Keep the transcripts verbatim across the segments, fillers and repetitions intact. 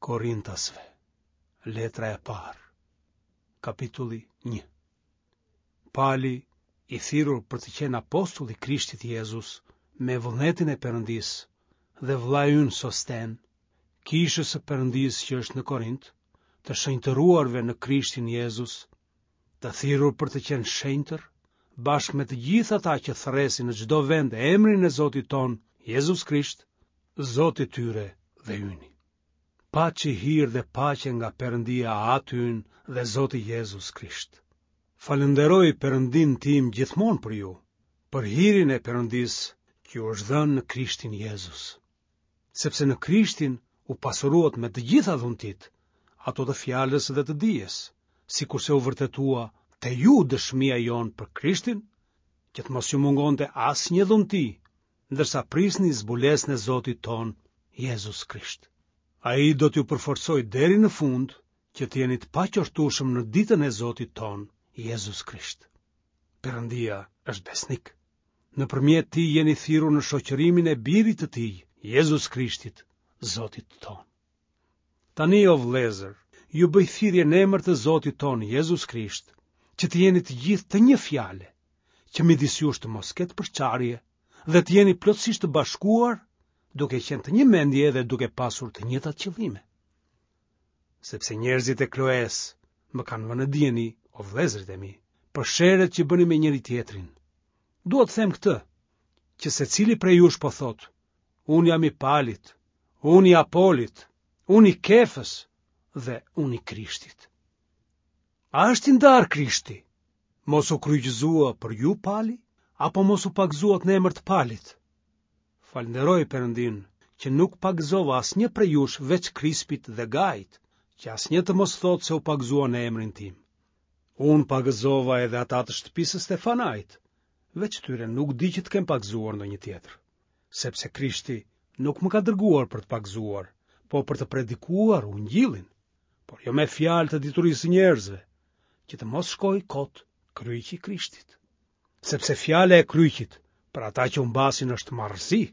Korintasve, letra e parë, kapitulli një. Pali, i thirrur për të qenë apostull i Krishtit Jezus, me vullnetin e Perëndisë, dhe vëllai ynë Sosten, kishës së Perëndisë që është në Korint, të shenjtëruarve në Krishtin Jezus, të thirrur për të qenë shenjtër, bashkë me të gjithë ata që thërresin në çdo vend emrin e Zotit tonë, Jezus Krisht, Zoti i tyre dhe yni. Paçi hir dhe paqe nga Perëndia Ati ynë dhe Zoti Jezus Krisht. Falënderoj Perëndinë tim gjithmonë për ju, për hirin e Perëndisë që ju është dhënë në Krishtin Jezus. Sepse në Krishtin u pasuruat me të gjitha dhuntitë, ato të fjalës dhe të dijes, sikurse u vërtetua te ju dëshmia jonë për Krishtin, që të mos ju mungonte asnjë dhunti, ndërsa prisni zbulesën e Zotit tonë, Jezus Krisht. Ai do t'ju përforcojë deri në fund, që të jeni të paqortueshëm në ditën e Zotit tonë, Jezus Krisht. Perëndia është besnik. Nëpërmjet tij jeni thirrur në shoqërimin e birit të tij, Jezus Krishtit, Zotit tonë. Tani o vëllezër, ju bëj thirrje në emër të Zotit tonë Jezus Krisht, që të jeni të gjithë të një fjale, që midis jush të mos ketë përçarje dhe të jeni plotësisht të bashkuar, duke qenë të një mendje dhe duke pasur të njëjtat qëllime. Sepse njerëzit e Kloes më kanë vënë në dijeni, o vëllezërit e mi, për sherret që bëni me njëri tjetrin. Dua të them këtë, që secili prej jush po thotë, unë jam i Palit, unë i Apolit, unë i Kefës dhe unë i Krishtit. A është i ndarë Krishti? Mos u kryqëzua për ju Pali, apo mos u pagëzuat në emër të Palit? Falënderoj Perëndinë që nuk pagëzova asnjë prej jush veç Krispit dhe Gait, që asnjë të mos thotë se u pagëzua në emrin tim. Unë pagëzova edhe ata të shtëpisë së Stefanait, veç tyre nuk di që të kem pagëzuar ndonjë tjetër, sepse Krishti nuk më ka dërguar për të pagëzuar, po për të predikuar ungjillin, por jo me fjalë të diturisë së njerëzve, që të mos shkojë kot kryqi i Krishtit. Sepse fjala e kryqit për ata që humbasin është marrëzi,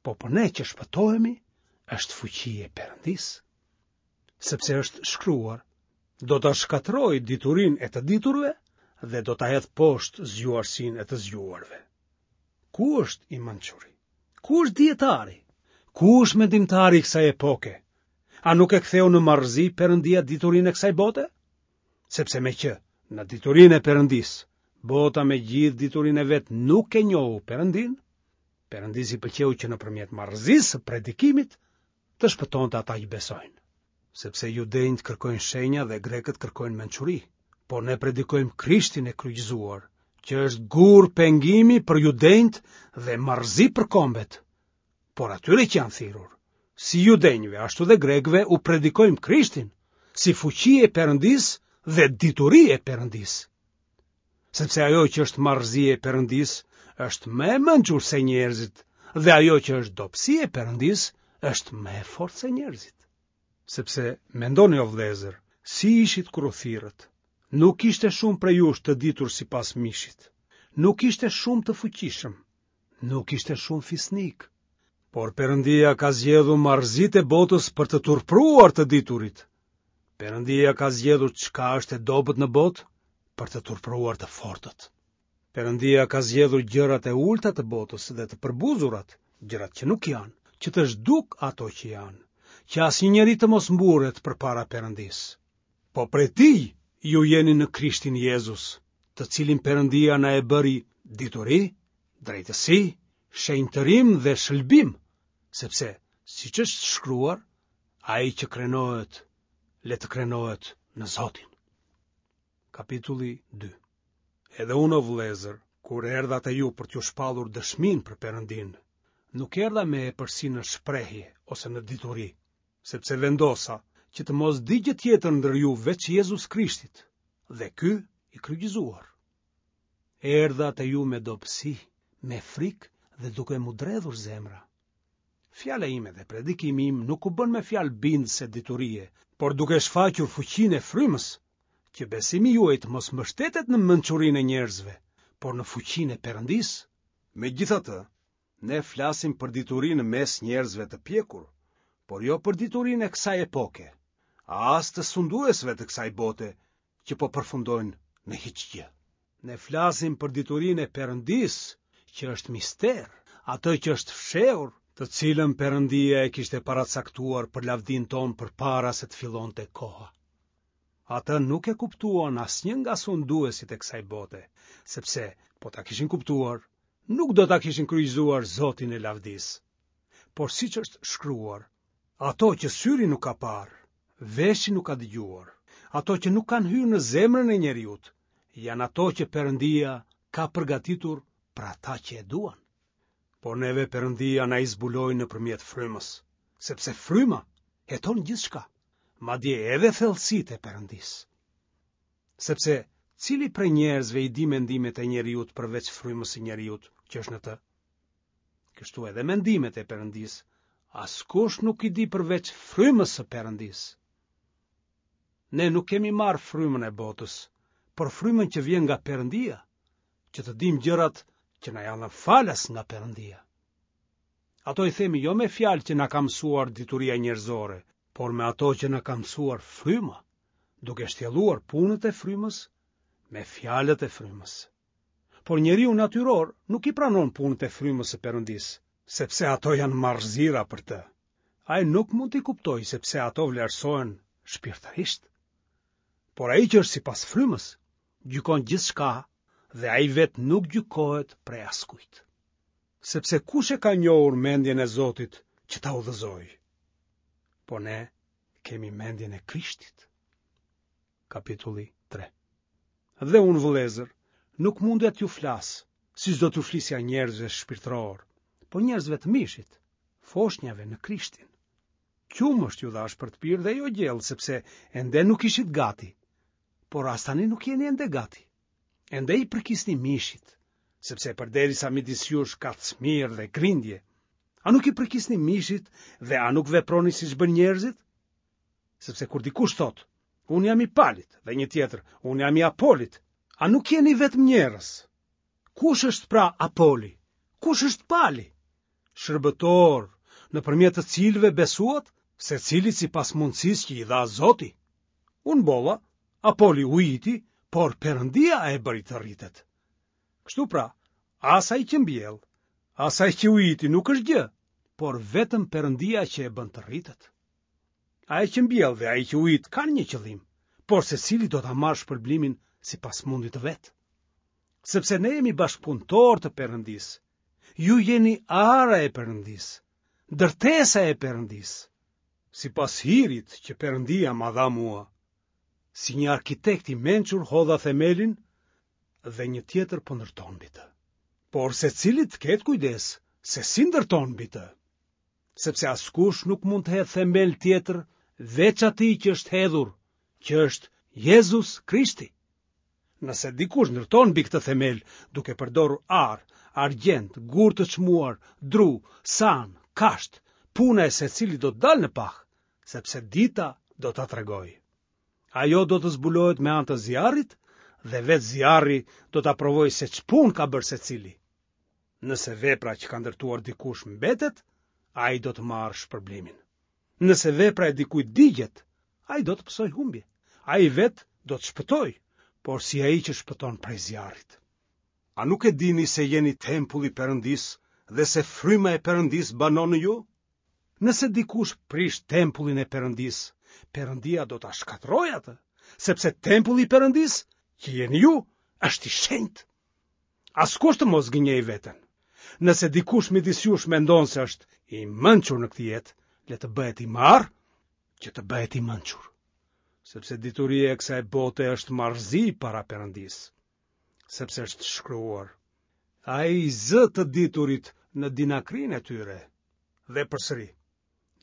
po për ne që shpëtohemi është fuqi e Perëndisë. Sepse është shkruar, do ta shkatërroj diturinë e të diturve dhe do ta hedh poshtë zgjuarsinë e të zgjuarve. Ku është i mençuri? Ku është dijetari? Ku është mendimtari i kësaj epoke? A nuk e ktheu në marrëzi Perëndia diturinë e kësaj bote? Sepse meqë në diturinë e Perëndisë, bota me gjithë diturinë e vet nuk e njohu Perëndinë, Perëndisë i pëlqeu që nëpërmjet marrëzisë së predikimit të shpëtonte ata që besojnë. Sepse judenjtë kërkojnë shenja dhe grekët kërkojnë mençuri, por ne predikojmë Krishtin e kryqëzuar, që është gur pengimi për judenjtë dhe marrëzi për kombet. Por atyre që janë thirrur, si judenjve ashtu dhe grekëve u predikojmë Krishtin, si fuqi e Perëndisë dhe dituri e Perëndisë. Sepse ajo që është marrëzi e Perëndisë është më e mençur se njerëzit, dhe ajo që është dobësi e Perëndisë është më e fortë se njerëzit. Sepse mendoni o vëllezër, si ishit kur u thirrët? Nuk ishte shumë prej jush të ditur sipas mishit. Nuk ishte shumë të fuqishëm. Nuk ishte shumë fisnik. Por Perëndia ka zgjedhur marrëzitë e botës për të turpruar të diturit. Perëndia ka zgjedhur çka është e dobët në botë për të turpruar të fortët. Perëndia ka zgjedhur gjërat e ulta të botës dhe të përbuzurat, gjërat që nuk janë, që të zhduk ato që janë, që asnjë njeri të mos mburret përpara Perëndisë. Po prej tij ju jeni në Krishtin Jezus, të cilin Perëndia na e bëri dituri, drejtësi, shenjtërim dhe shëlbim, sepse, siç është shkruar, ai që krenohet, le të krenohet në Zotin. Kapitulli dy. Edhe unë, o vëllezër, kur erdha te ju për t'ju shpallur dëshminë për Perëndinë, nuk erdha me epërsi në shprehje ose në dituri, sepse vendosa që të mos di gjë tjetër ndër ju veç Jezus Krishtit, dhe ky i kryqëzuar. Erdha te ju me dobësi, me frikë dhe duke m'u dredhur zemra. Fjala ime dhe predikimi im nuk u bën me fjalë bindëse diturie, por duke shfaqur fuqinë e frymës, që besimi juaj të mos mbështetet në mençurinë e njerëzve, por në fuqinë e Perëndisë. Megjithatë, ne flasim për dituri në mes njerëzve të pjekur, por jo për diturinë e kësaj epoke, as të sunduesve të kësaj bote që po përfundojnë në hiçgjë. Ne flasim për diturinë e Perëndisë, që është mister, atë që është fshehur, të cilën Perëndia e kishte paracaktuar për lavdinë tonë përpara se të fillonte koha. Atë nuk e kuptuan asnjë nga sunduesit e kësaj bote, sepse po ta kishin kuptuar, nuk do ta kishin kryqëzuar Zotin e lavdisë. Por siç është shkruar, ato që syri nuk ka parë, veshi nuk ka dëgjuar, ato që nuk kanë hyrë në zemrën e njeriut, janë ato që Perëndia ka përgatitur për ata që e duan. Por neve Perëndia na i zbuloi nëpërmjet frymës, sepse fryma heton gjithçka, madje edhe thellësitë e Perëndisë. Sepse cili prej njerëzve i di mendimet e njeriut përveç frymës së njeriut që është në të? Kështu edhe mendimet e Perëndisë, askush nuk i di përveç frymës së Perëndisë. Ne nuk kemi marrë frymën e botës, por frymën që vjen nga Perëndia, që të dimë gjërat që na janë dhënë falas nga Perëndia. Ato i themi jo me fjalë që na ka mësuar dituria njerëzore, por me ato që na ka mësuar fryma, duke shtjelluar punët e frymës me fjalët e frymës. Por njeriu natyror nuk i pranon punët e frymës së Perëndisë, sepse ato janë marrëzira për të. Ai nuk mund t'i kuptojë sepse ato vlerësohen shpirtërisht. Por ai që është sipas frymës, gjykon gjithçka dhe ai vetë nuk gjykohet prej askujt. Sepse kush e ka njohur mendjen e Zotit që ta udhëzojë? Po ne kemi mendjen e Krishtit. Kapitulli tre. Dhe unë, vëllezër, nuk mundja t'ju flas, siç do t'ju flisja njerëzve shpirtërorë, po njerëzve të mishit, foshnjave në Krishtin. Qumësht ju dhashë për të pirë dhe jo gjellë, sepse ende nuk ishit gati, por as tani nuk jeni ende gati. Ende i përkisni mishit, sepse përderisa midis jush ka smirë dhe grindje, a nuk i përkisni mishit dhe a nuk veproni siç bëjnë njerëzit? Sepse kur dikush thotë, unë jam i Palit, dhe një tjetër, unë jam i Apolit, a nuk jeni vetëm njerëz? Kush është pra Apoli? Kush është Pali? Shërbëtorë, nëpërmjet të cilëve besuat, secilit sipas mundësisë që i dha Zoti. Unë mbolla, Apoli ujiti, por Perëndia e bëri të rritet. Kështu pra, as ai që mbjell, as ai që ujiti nuk është gjë, por vetëm Perëndia që e bën të rritet. Ai që mbjell dhe ai që ujit kanë një qëllim, por secili do ta marrë shpërblimin sipas mundit të vet. Sepse ne jemi bashkëpunëtorë të Perëndisë. Ju jeni ara e Perëndisë, ndërtesa e Perëndisë. Sipas hirit që Perëndia ma dha mua, si një arkitekt i mençur hodha themelin dhe një tjetër po ndërton mbi të. Por secili të ketë kujdes se si ndërton mbi të, sepse askush nuk mund të hedhë themel tjetër veç atij që është hedhur, që është Jezus Krishti. Nëse dikush ndërton mbi këtë themel duke përdorur ar, argjend, gur të çmuar, dru, sanë, kashtë, puna e secilit do të dalë në pah, sepse dita do ta tregojë. Ajo do të zbulohet me anë të zjarrit dhe vetë zjarri do ta provojë se ç'punë ka bërë secili. Nëse vepra që ka ndërtuar dikush mbetet, ai do të marrë shpërblimin. Nëse vepra e dikujt digjet, ai do të pësojë humbje. Ai vetë do të shpëtojë, por si ai që shpëton prej zjarrit. A nuk e dini se jeni tempulli i Perëndisë dhe se fryma e Perëndisë banon në ju? Nëse dikush prish tempullin e Perëndisë, Perëndia do ta shkatërrojë atë, sepse tempulli i Perëndisë, që jeni ju, është i shenjtë. Askush të mos gënjejë veten. Nëse dikush midis jush mendon se është i mençur në këtë jetë, le të bëhet i marrë, që të bëhet i mençur. Sepse dituria e kësaj bote është marrëzi para Perëndisë, sepse është shkruar: Ai i zë të diturit në dinakrinë e tyre. Dhe përsëri,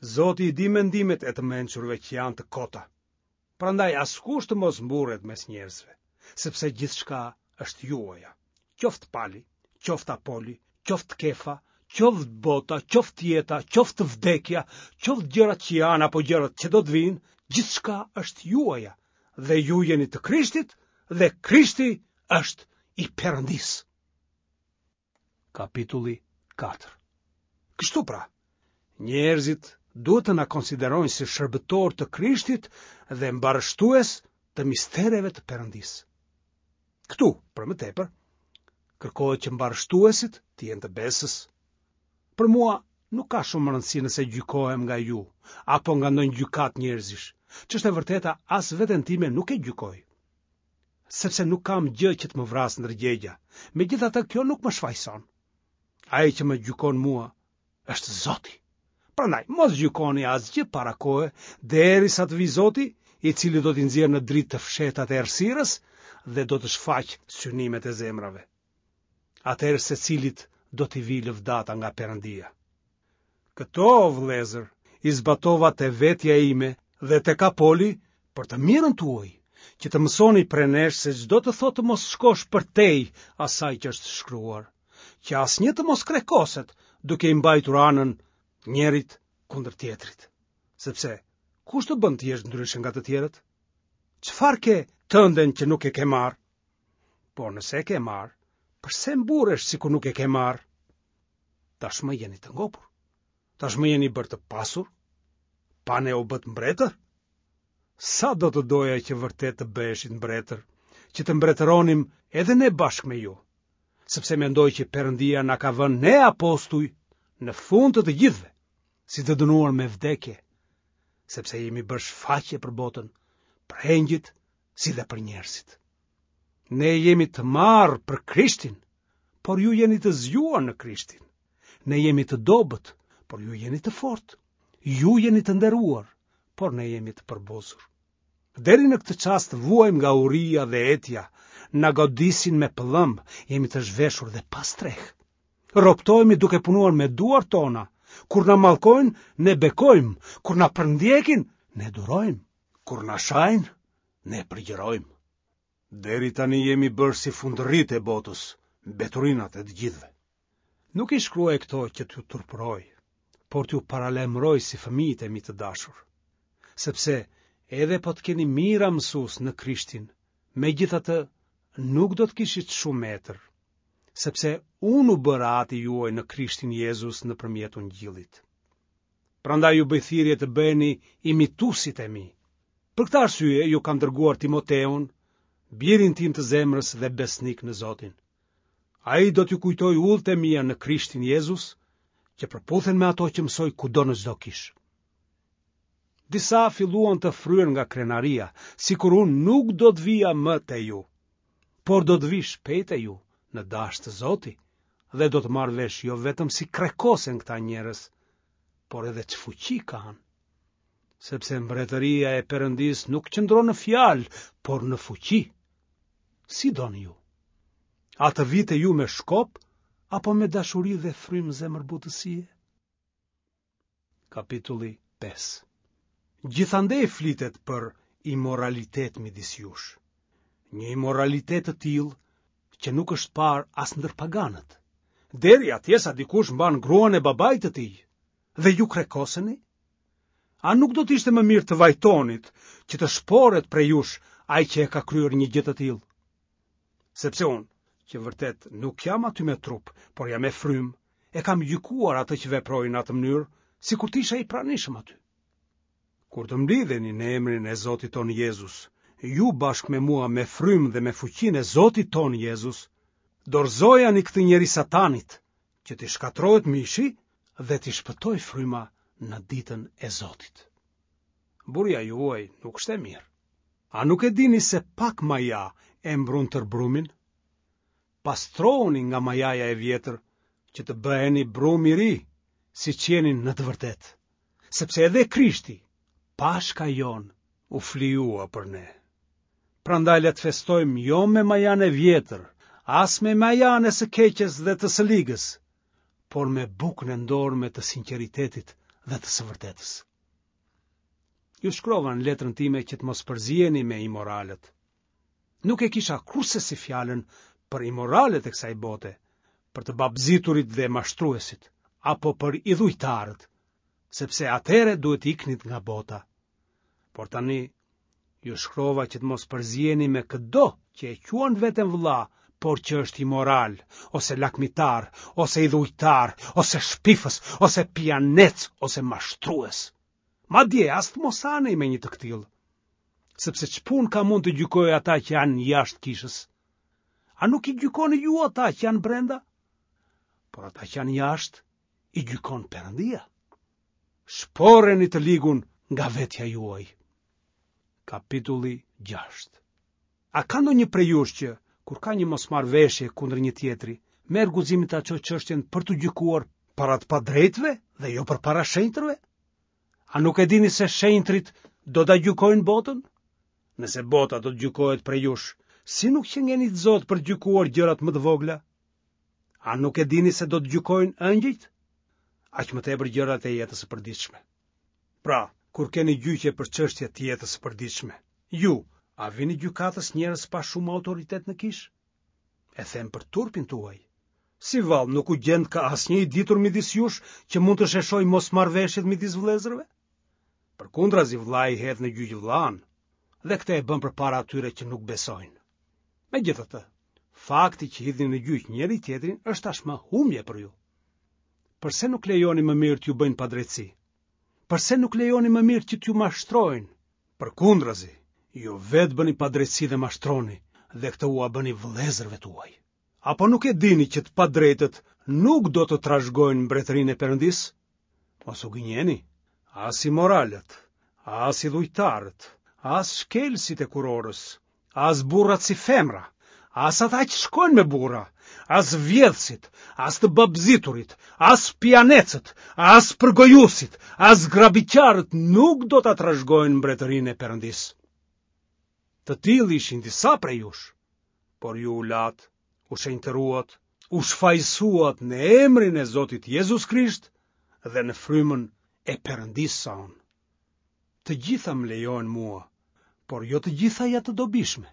Zoti i di mendimet e të mençurve që janë të kota. Prandaj askush të mos mburret mes njerëzve, sepse gjithçka është juaja, qoftë Pali, qoftë Apoli, qoftë Kefa, qoftë bota, qoftë jeta, qoftë vdekja, qoftë gjërat që janë apo gjërat që do të vijnë, gjithçka është juaja, dhe ju jeni të Krishtit dhe Krishti është i Perëndisë. Kapitulli katër. Kështu pra, njerëzit Duhet të na konsiderojnë si shërbëtorë të Krishtit dhe mbarështues të mistereve të Perëndisë. Këtu, për më tepër, kërkohet që mbarështuesit të jenë të besës. Për mua nuk ka shumë rëndësi nëse gjykohem nga ju apo nga ndonjë gjykatë njerëzish. Ç'është e vërteta, as veten time nuk e gjykoj. Sepse nuk kam gjë që të më vrasë ndërgjegja. Megjithatë, kjo nuk më shfajëson. Ai që më gjykon mua është Zoti. Prandaj, mos gjykoni asgjë para kohe, derisa të vijë Zoti, i cili do t'i nxjerrë në dritë të fshehtat e errësirës dhe do të shfaqë synimet e zemrave. Atëherë secilit do t'i vijë lëvdata nga Perëndia. Këto, o vëllezër, i zbatova te vetja ime dhe tek Apoli për të mirën tuaj, që të mësoni prej nesh se ç'do të thotë të mos shkosh përtej asaj që është shkruar, që asnjë të mos krekoset duke i mbajtur anën njërit kundër tjetrit. Sepse kush të bën të jesh ndryshe nga të tjerët? Çfarë ke tënden që nuk e ke marrë? Por nëse e ke marrë, përse mburresh sikur nuk e ke marrë? Tashmë jeni të ngopur. Tashmë jeni bërë të pasur. Pa ne u bëtë mbretër? Sa do të doja që vërtet të bëheshit mbretër, që të mbretëronim edhe ne bashkë me ju, sepse mendoj që Perëndia na ka vënë ne apostuj në fund të të gjithëve, si të dënuar me vdekje, sepse jemi bërë shfaqje për botën, për engjëjt, si dhe për njerëzit. Ne jemi të marrë për Krishtin, por ju jeni të zgjuar në Krishtin. Ne jemi të dobët, por ju jeni të fortë. Ju jeni të nderuar, por ne jemi të përbuzur. Deri në këtë çast vuajmë nga uria dhe etja, na godisin me pëllëmbë, jemi të zhveshur dhe pa strehë. Roptohemi duke punuar me duart tona. Kur na mallkojnë, ne bekojmë. Kur na përndjekin, ne durojmë. Kur na shajnë, ne përgjërojmë. Deri tani jemi bërë si fundërritë e botës, mbeturinat e të gjithëve. Nuk i shkruaj këto që t'ju turpëroj, por t'ju paralajmëroj si fëmijët e mi të dashur. Sepse edhe po të keni mijëra mësues në Krishtin, megjithatë nuk do të kishit shumë etër, sepse unë u bëra ati juaj në Krishtin Jezus nëpërmjet Ungjillit. Prandaj ju bëj thirrje të bëheni imituesit e mi. Për këtë arsye ju kam dërguar Timoteun, birin tim të zemrës dhe besnik në Zotin. Ai do t'ju kujtojë udhët e mia në Krishtin Jezus, që përputhen me ato që mësoj kudo në çdo kishë. Disa filluan të fryhen nga krenaria, sikur unë nuk do të vija më te ju, por do të vij shpejt te ju, në dashtë Zoti, dhe do të marr vesh jo vetëm si krekosen këta njerëz, por edhe ç'fuqi kanë. Sepse mbretëria e Perëndisë nuk qëndron në fjalë, por në fuqi. Si doni ju? A të vij te ju me shkop, apo me dashuri dhe frymë zemërbutësie? Kapitulli pesë. Gjithandej flitet për imoralitet midis jush. Një imoralitet të tillë që nuk është parë as ndër paganët. Deri atje sa dikush mban gruan e babait të tij dhe ju krekoseni? A nuk do të ishte më mirë të vajtonit që të shporet prej jush ai që e ka kryer një gjë të tillë? Sepse unë, që vërtet nuk jam aty me trup, por jam me frymë, e kam gjykuar atë që veproi në atë mënyrë, sikur të isha i pranishëm aty. Kur të mblidheni në emrin e Zotit tonë Jezus, ju bashkë me mua me frymë dhe me fuqinë e Zotit tonë Jezus, dorëzojani këtë njeri Satanit, që t'i shkatërrohet mishi dhe t'i shpëtojë fryma në ditën e Zotit. Burja juaj nuk është e mirë. A nuk e dini se pak maja e mbrun tërë brumin? Pastrohuni nga majaja e vjetër, që të bëheni brum i ri, siç jeni në të vërtetë. Sepse edhe Krishti, Pashka jonë, u flijua për ne. Prandaj le të festojmë jo me majan e vjetër, as me majan e së keqes dhe të së ligës, por me bukën e ndorme të sinqeritetit dhe të së vërtetës. Ju shkrova në letrën time që të mos përziheni me imoralët. Nuk e kisha kurrsesi fjalën për imoralët e kësaj bote, për të babëziturit dhe mashtruesit, apo për idhujtarët, sepse atëherë duhet iknit nga bota. Por tani ju shkrova që të mos përziheni me këdo që e quan veten vëlla Por që është imoral, ose lakmitar, ose idhujtar, ose shpifës, ose pijanec, ose mashtrues. Madje as të mos hanej me një të këtillë. Sepse ç'punë kam unë të gjykoj ata që janë jashtë kishës? A nuk i gjykoni ju ata që janë brenda? Por ata që janë jashtë, i gjykon Perëndia. Shporreni të ligun nga vetja juaj. Kapitulli gjashtë. A ka ndonjë prej jush që, kur ka një mosmarrëveshje kundër një tjetri, merr guximin ta çojë çështjen për t'u gjykuar para të padrejtëve dhe jo përpara shenjtërve? A nuk e dini se shenjtërit do ta gjykojnë botën? Nëse bota do të gjykohet prej jush, si nuk qenkeni të zotë për të gjykuar gjërat më të vogla? A nuk e dini se do të gjykojnë engjëjt? Aq më tepër gjërat e jetës së përditshme. Pra, kur keni gjyqe për çështje të jetës së përditshme, ju a vini gjykatës njerëz pa shumë autoritet në kishë? E them për turpin tuaj. Si vallë nuk u gjendka asnjë i ditur midis jush që mund të sheshojë mosmarrëveshjet midis vëllezërve? Përkundrazi vëllai hedh në gjyq vëllanë, dhe këtë e bën përpara atyre që nuk besojnë. Megjithatë, fakti që hidhni në gjyq njëri-tjetrin është tashmë humbje për ju. Përse nuk lejoni më mirë t'ju bëjnë padrejtësi? Përse nuk lejoni më mirë që t'ju mashtrojnë? Përkundrazi, ju vetë bëni padrejtësi dhe mashtroni, dhe këtë ua bëni vëllezërve tuaj. Apo nuk e dini që të padrejtët nuk do të trashëgojnë mbretërinë e Perëndisë? Mos u gënjeni, as imoralët, as idhujtarët, as shkelësit e kurorës, as burrat si femra, as ata që shkojnë me burra, as vjedhësit, as të babëziturit, as pijanecët, as përgojuesit, as grabitqarët nuk do ta trashëgojnë mbretërinë e Perëndisë. Të tillë ishin disa prej jush, por ju u latë, u shenjtëruat, u shfajësuat në emrin e Zotit Jezus Krisht dhe në frymën e Perëndisë sonë. Të gjitha më lejohen mua, por jo të gjitha janë të dobishme.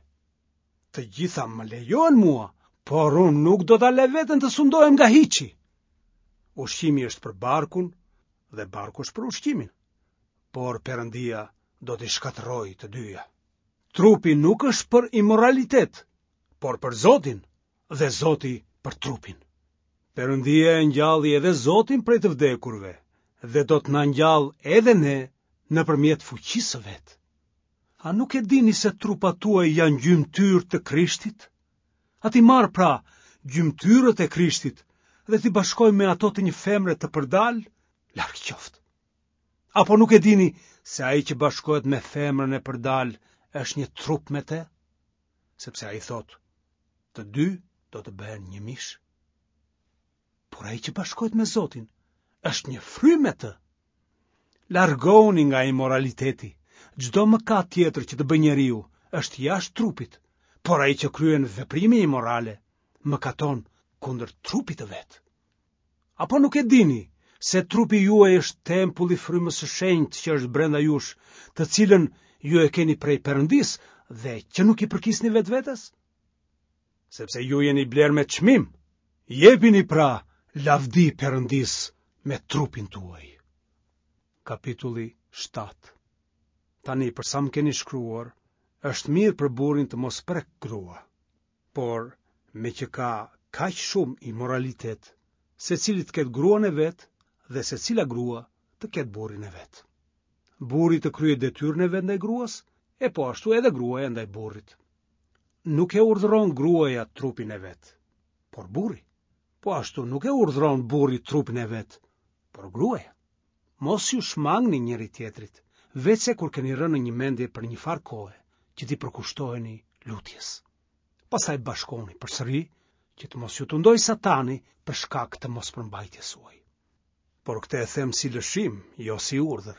Të gjitha më lejohen mua, por unë nuk do ta lë veten të sundohem nga hiçi. Ushqimi është për barkun dhe barku është për ushqimin, por Perëndia do t'i shkatërrojë të dyja. Trupi nuk është për imoralitet, por për Zotin dhe Zoti për trupin. Perëndia e ngjalli edhe Zotin prej të vdekurve dhe do të na ngjallë edhe ne nëpërmjet fuqisë së vet. A nuk e dini se trupat tuaj janë gjymtyrë të Krishtit? A t'i marr pra gjymtyrët e Krishtit dhe t'i bashkoj me ato të një femre të përdalë? Larg qoftë. Apo nuk e dini se ai që bashkohet me femrën e përdalë është një trup me të? Sepse ai thotë, të dy do të bëhen një mish. Por ai që bashkohet me Zotin është një frymë me të. Largohuni nga imoraliteti. Çdo mëkat tjetër që të bëjë njeriu është jashtë trupit, por ai që kryen veprime imorale mëkaton kundër trupit të vet. Apo nuk e dini se trupi juaj është tempulli i frymës së shenjtë që është brenda jush, të cilën ju e keni prej Perëndisë dhe që nuk i përkisni vetvetes? Sepse ju jeni blerë me çmim. Jepini pra lavdi Perëndisë me trupin tuaj. Kapitulli shtatë. Tani për sa më keni shkruar, është mirë për burrin të mos prek grua. Por, meqë ka kaq shumë imoralitet, secili të ketë gruan e vet dhe secila grua të ketë burrin e vet. Burri të kryejë detyrën e vet ndaj gruas, e po ashtu edhe gruaja ndaj burrit. Nuk e urdhëron gruaja trupin e vet, por burri. Po ashtu nuk e urdhëron burri trupin e vet, por gruaja. Mos iu shmangni njëri-tjetrit, veçse kur keni rënë në një mendje për një farë kohe, që t'i përkushtoheni lutjes. Pastaj bashkohuni përsëri, që të mos ju tundojë Satani për shkak të mospërmbajtjes suaj. Por këtë e them si lëshim, jo si urdhër.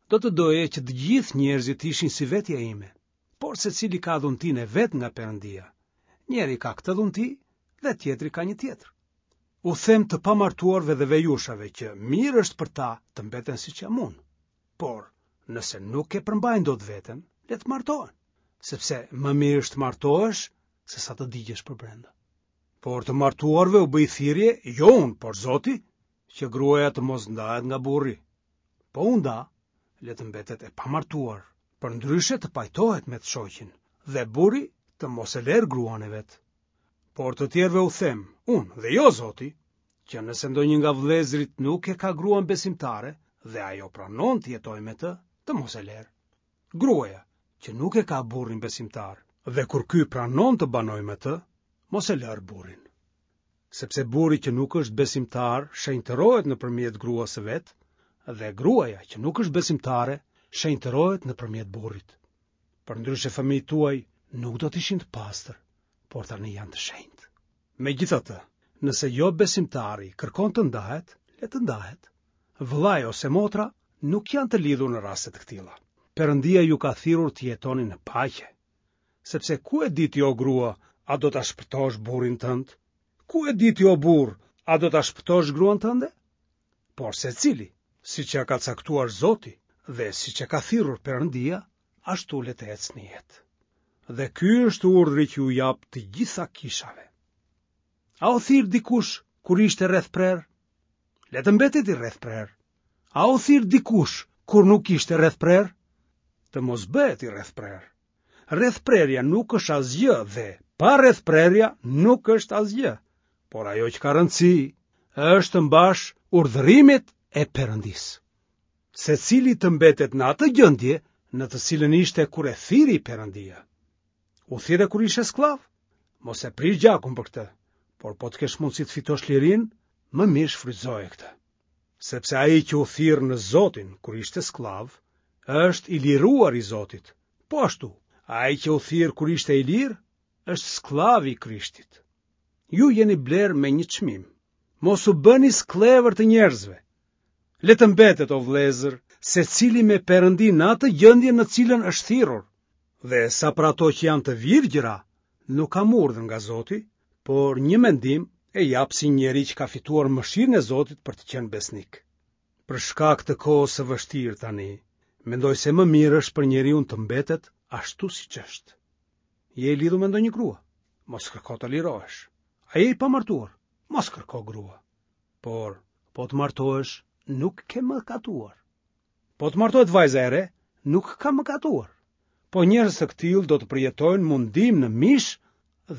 Do të doja që të gjithë njerëzit të ishin si vetja ime, por secili ka dhuntinë e vet nga Perëndia. Njëri ka këtë dhunti dhe tjetri ka një tjetër. U them të pamartuarve dhe vejushave që mirë është për ta të mbeten siç jam unë. Por, nëse nuk e përmbajnë dot veten, le të martohen, sepse më mirë është të martohesh se sa të digjesh përbrenda. Por të martuarve u bëj thirrje, jo unë, por Zoti, që gruaja të mos ndahet nga burri. Po u nda, le të mbetet e pamartuar, përndryshe të pajtohet me të shoqin, dhe burri të mos e lerë gruan e vet. Por të tjerëve u them, unë dhe jo Zoti, që nëse ndonjë nga vëllezërit nuk e ka gruan besimtare dhe ajo pranon të jetojë me të, të mos e lerë. Gruaja që nuk e ka burrin besimtar dhe kur ky pranon të banojë me të, mos e lërë burrin. Sepse burri që nuk është besimtar shenjtërohet nëpërmjet gruas së vet dhe gruaja që nuk është besimtare shenjtërohet nëpërmjet burrit. Përndryshe fëmijët tuaj nuk do të ishin të pastër, por tani janë të shenjtë. Megjithatë, nëse jo besimtari kërkon të ndahet, le të ndahet. Vëllai ose motra nuk janë të lidhur në raste të këtilla. Perëndia ju ka thirrur të jetoni në paqe. Sepse ku e di ti o grua, a do ta shpëtosh burrin tënd? Ku e di ti o burrë, a do ta shpëtosh gruan tënde? Por secili, siç ia ka caktuar Zoti dhe siç e ka thirrur Perëndia, ashtu le të ecë në jetë. Dhe ky është urdhri që u jap të gjitha kishave. A u thirr dikush kur ishte rrethprerë? Le të mbetet i rrethprerë. A u thirr dikush kur nuk ishte rrethprerë? Të mos bëhet i rrethprerë. Rrethprerja nuk është asgjë dhe pa rrethprerja nuk është asgjë. Por ajo që ka rëndësi është të mbash urdhërimet e Perëndisë. Secili të mbetet në atë gjendje në të cilën ishte kur e thirri Perëndia. U thirre kur ishe skllav? Mos e prish gjakun për këtë, por po të kesh mundësi të fitosh lirinë, më mirë shfrytëzoje këtë. Sepse ai që u thirr në Zotin kur ishte skllav, është i liruar i Zotit. Po ashtu, ai që u thirr kur ishte i lirë, është skllav i Krishtit. Ju jeni blerë me një çmim. Mos u bëni skllevër të njerëzve. Le të mbetet, o vëllezër, secili me Perëndinë në atë gjendje në të cilën është thirrur. Dhe sa për ato që janë të virgjëra, nuk kam urdhër nga Zoti, por një mendim e jap si njeri që ka fituar mëshirën e Zotit për të qenë besnik. Për shkak të kohës së vështirë tani, mendoj se më mirë është për njeriun të mbetet ashtu siç është. Je i lidhur me ndonjë grua? Mos kërko të lirohesh. A je i pamartuar? Mos kërko grua. Por, po të martohesh, nuk ke mëkatuar. Po të martohet vajza e re, nuk ka mëkatuar. Po njerëz të këtillë do të përjetojnë mundim në mish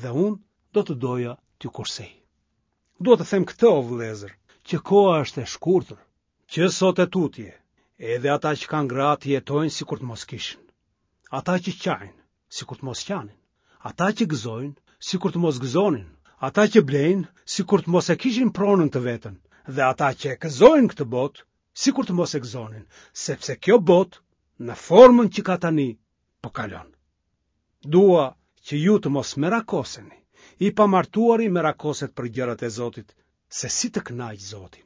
dhe unë do të doja t'ju kursej. Dua të them këtë, o vëllezër, që koha është e shkurtër, që sot e tutje, edhe ata që kanë gra të jetojnë sikur të mos kishin. Ata që qajnë, sikur të mos qanin. Ata që gëzojnë, sikur të mos gëzonin. Ata që blejnë, sikur të mos e kishin pronën të vetën. Dhe ata që e gëzojnë këtë botë, sikur të mos e gëzonin, sepse kjo botë, në formën që ka tani, po kalon. Dua që ju të mos merakoseni. I pamartuari merakoset për gjërat e Zotit, se si të kënaqë Zotin.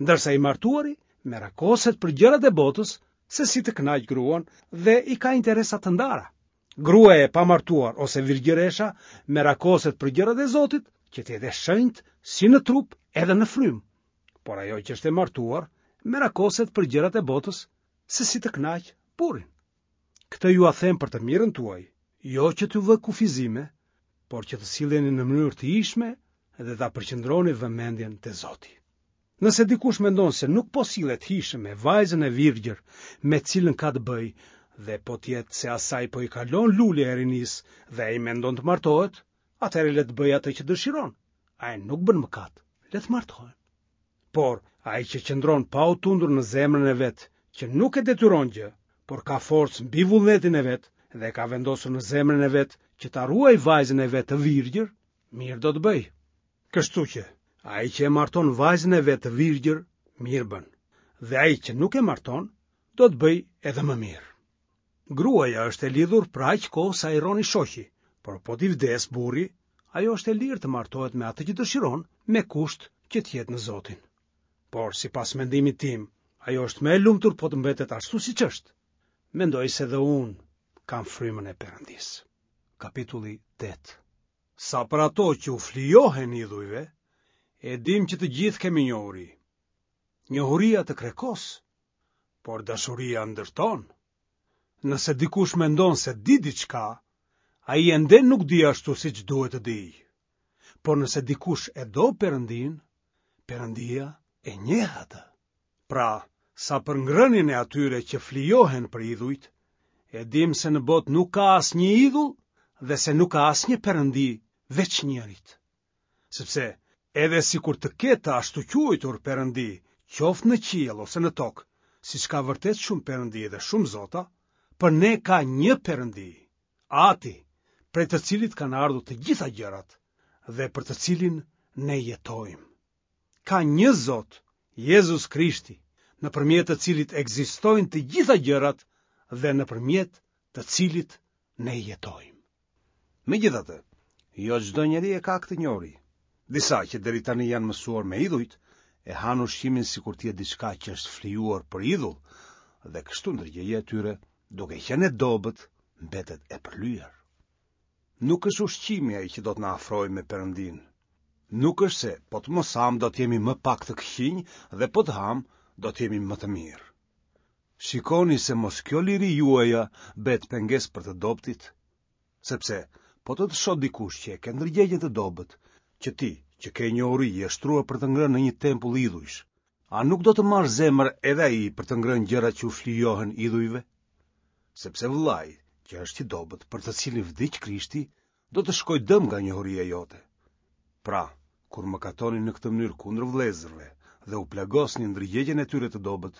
Ndërsa i martuari merakoset për gjërat e botës, se si të kënaqë gruan dhe i ka interesa të ndara. Gruaja e pamartuar ose virgjëresha merakoset për gjërat e Zotit, që të jetë e shenjtë si në trup edhe në frymë. Por ajo që është e martuar merakoset për gjërat e botës, se si të kënaqë burrin. Këtë jua them për të mirën tuaj, jo që t'ju vë kufizime, por që të silleni në mënyrë të hijshme dhe ta përqendroni vëmendjen te Zoti. Nëse dikush mendon se nuk po sillet hijshëm me vajzën e virgjër me të cilën ka të bëjë dhe po të jetë se asaj po i kalon lulja e rinisë dhe ai mendon të martohet, atëherë le të bëjë atë që dëshiron. Ai nuk bën mëkat, le të martohen. Por ai që qëndron pa u tundur në zemrën e vet, që nuk e detyron gjë, por ka forcë mbi vullnetin e vet dhe e ka vendosur në zemrën e vet që ta ruajë vajzën e vet të virgjër, mirë do të bëjë. Kështu që, ai që e marton vajzën e vet të virgjër, mirë bën, dhe ai që nuk e marton, do të bëjë edhe më mirë. Gruaja është e lidhur për aq kohë sa i rron i shoqi, por po t'i vdesë burri, ajo është e lirë të martohet me atë që dëshiron, me kusht që të jetë në Zotin. Por, sipas mendimit tim, ajo është më e lumtur po të mbetet ashtu siç është. Mendoj se dhe unë kam frymën e Perëndisë. Kapitulli tetë. Sa për ato që u flijohen idhujve, e dim që të gjithë kemi njohuri. Njohuria të krekos, por dashuria ndërton. Nëse dikush mendon se di diçka, ai ende nuk di ashtu siç duhet të dijë. Por nëse dikush e do Perëndinë, Perëndia e njeh atë. Pra, sa për ngrënien e atyre që flijohen për idhujt, e dim se në botë nuk ka asnjë idhull dhe se nuk ka asnjë perëndi veç njërit. Sepse edhe sikur të ketë të ashtuquajtur perëndi, qoftë në qiell ose në tokë, siç ka vërtet shumë perëndi dhe shumë zota, për ne ka një perëndi, Ati, prej të cilit kanë ardhur të gjitha gjërat dhe për të cilin ne jetojmë. Ka një Zot, Jezus Krishti, nëpërmjet të cilit ekzistojnë të gjitha gjërat dhe nëpërmjet të cilit ne jetojmë. Megjithatë, jo çdo njeri e ka këtë njohuri. Disa që deri tani janë mësuar me idhujt, e hanë ushqimin sikur të jetë diçka që është flijuar për idhull, dhe kështu ndërgjegja e tyre, duke qenë e dobët, mbetet e përlyer. Nuk është ushqimi ai që do të na afrojë me Perëndinë. Nuk është se po të mos hamë do të jemi më pak të këqinj dhe po të hamë do të jemi më të mirë. Shikoni se mos kjo liri juaja bëhet pengesë për të dobëtit, sepse po të të shohë dikush që e ke ndërgjegjen të dobët, që ti, që ke njohuri, je shtruar për të ngrënë në një tempull idhujsh, a nuk do të marrë zemër edhe ai për të ngrënë gjëra që u flijohen idhujve? Sepse vëllai, që është i dobët, për të cilin vdiq Krishti, do të shkojë dëm nga njohuria jote. Pra, kur mëkatoni në këtë mënyrë kundër vëllezërve dhe u plagosni ndërgjegjen e tyre të dobët,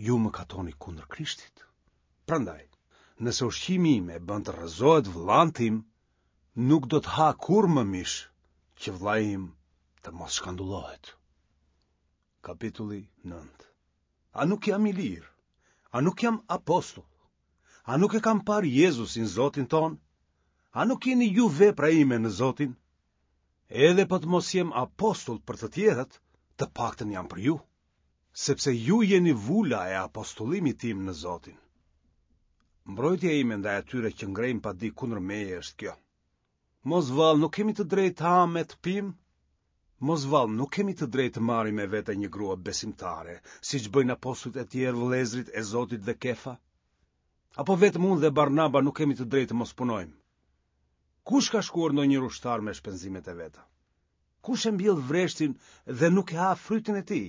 ju mëkatoni kundër Krishtit. Prandaj, nëse ushqimi im e bën të rrëzohet vëllanë tim, nuk do të ha kurrë më mish, që vëllai im të mos shkandullohet. Kapitulli nëntë. A nuk jam i lirë? A nuk jam apostull? A nuk e kam parë Jezusin Zotin tonë? A nuk jeni ju vepra ime në Zotin? Edhe po të mos jem apostull për të tjerët, të paktën jam për ju, sepse ju jeni vula e apostullimit tim në Zotin. Mbrojtja ime ndaj atyre që ngrejnë padi kundër meje është kjo. Mos vallë nuk kemi të drejtë të hamë e të pimë? Mos vallë nuk kemi të drejtë të marrim me vete një grua besimtare, siç bëjnë apostujt e tjerë vëllezërit e Zotit dhe Kefa? Apo vetëm unë dhe Barnaba nuk kemi të drejtë të mos punojmë? Kush ka shkuar ndonjë ushtar me shpenzimet e veta? Kush e mbjell vreshtin dhe nuk e ha frytin e tij?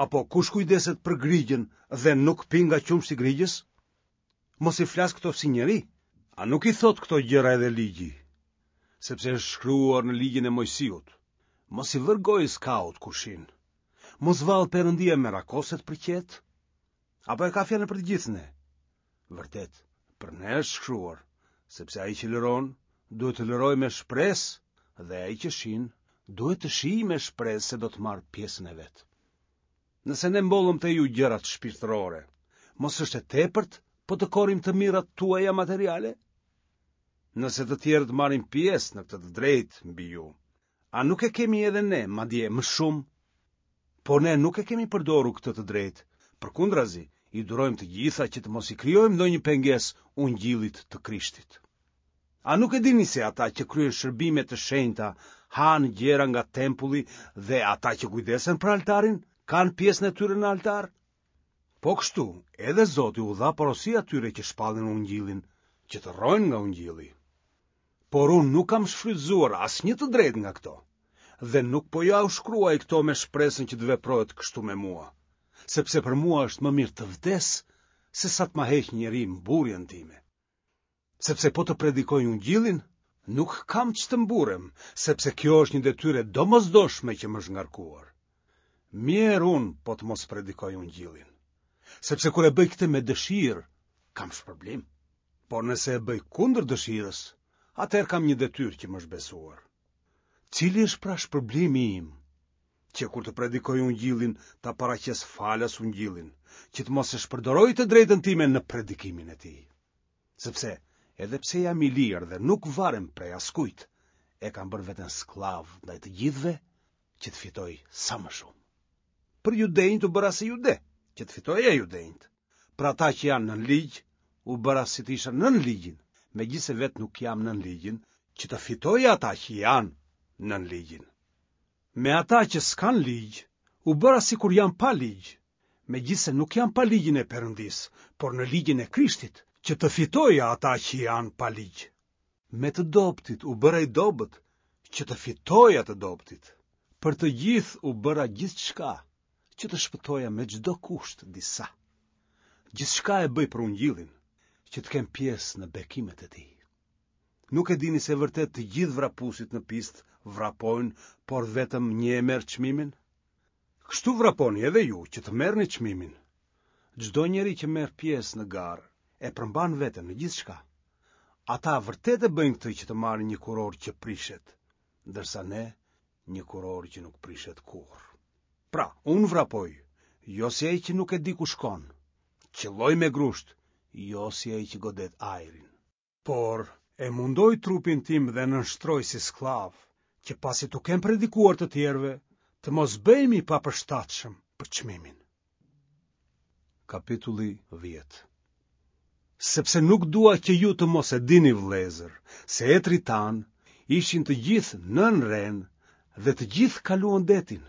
Apo kush kujdeset për grigjën dhe nuk pi nga qumështi i grigjës? Mos i flas këto si njeri. A nuk i thotë këto gjëra edhe ligji? Sepse është shkruar në ligjin e Mojsiut. Mos i vër gojës kaut kur shin. Mos vallë Perëndia merakoset për qetë? Apo e ka fjalën për të gjithë ne? Vërtet, për ne është shkruar, sepse ai që lëron, duhet të lërojë me shpresë, dhe ai që shin, duhet të shijë me shpresë se do të marrë pjesën e vet. Nëse ne mbollëm te ju gjërat shpirtërore, mos është e tepërt po të korrim të mirat tuaja materiale? Nëse të tjerët marrin pjesë në këtë të drejtë mbi ju, a nuk e kemi edhe ne, madje më shumë? Por ne nuk e kemi përdorur këtë të drejtë, përkundrazi, i durojmë të gjitha që të mos i krijojmë ndonjë pengesë ungjillit të Krishtit. A nuk e dini se ata që kryejnë shërbime të shenjta hanë gjëra nga tempulli dhe ata që kujdesen për altarin kanë pjesën e tyre në altar? Po kështu, edhe Zoti u dha porosi atyre që shpallin ungjillin, që të rrojnë nga ungjilli. Por unë nuk kam shfrytëzuar asnjë të drejtë nga këto, dhe nuk po jua shkruaj këto me shpresën që të veprohet kështu me mua, sepse për mua është më mirë të vdes se sa të ma heq njeri mburrjen time. Sepse po të predikoj ungjillin, nuk kam ç'të mburrem, sepse kjo është një detyrë e domosdoshme që më është ngarkuar. Mjerë unë po të mos predikoj ungjillin, sepse kur e bëj këtë me dëshirë, kam shpërblim. Por nëse e bëj kundër dëshirës, atëherë kam një detyrë që më është besuar. Cili është pra shpërblimi im? Që kur të predikoj ungjillin, ta paraqes falas ungjillin, që të mos e shpërdoroj të drejtën time në predikimin e tij. Sepse edhe pse jam i lirë dhe nuk varem prej askujt, e kam bërë veten skllav ndaj të gjithëve që të fitoj sa më shumë. Për judenjtë u bëra si jude, që të fitoja judenjtë. Për ata që janë nën ligj, u bëra si të isha nën ligjin, megjithëse vetë nuk jam nën ligjin, që të fitoja ata që janë nën ligjin. Me ata që s'kan ligj, u bëra sikur jam pa ligj, megjithëse nuk jam pa ligjin e Perëndisë, por në ligjin e Krishtit, që të fitoja ata që janë pa ligj. Me të dobëtit u bëra i dobët, që të fitoja të dobëtit. Për të gjithë u bëra gjithçka, që të shpëtoja me çdo kusht disa. Gjithçka e bëj për ungjillin, që të kem pjesë në bekimet e tij. Nuk e dini se vërtet të gjithë vrapuesit në pistë vrapojnë, por vetëm një e merr çmimin? Kështu vraponi edhe ju që të merrni çmimin. Çdo njeri që merr pjesë në garë e përmban veten në gjithçka. Ata vërtet e bëjnë këtë që të marrin një kurorë që prishet, ndërsa ne një kurorë që nuk prishet kurrë. Pra, unë vrapoj, jo si ai që nuk e di ku shkon. Qëlloj me grusht, jo si ai që godet ajrin. Por e mundoj trupin tim dhe e nënshtroj si skllav, që pasi t'u kem predikuar të tjerëve, të mos bëhem i papërshtatshëm për çmimin. Kapitulli dhjetë. Sepse nuk dua që ju të mos e dini vëllezër, se etërit tanë ishin të gjithë nën renë dhe të gjithë kaluan detin.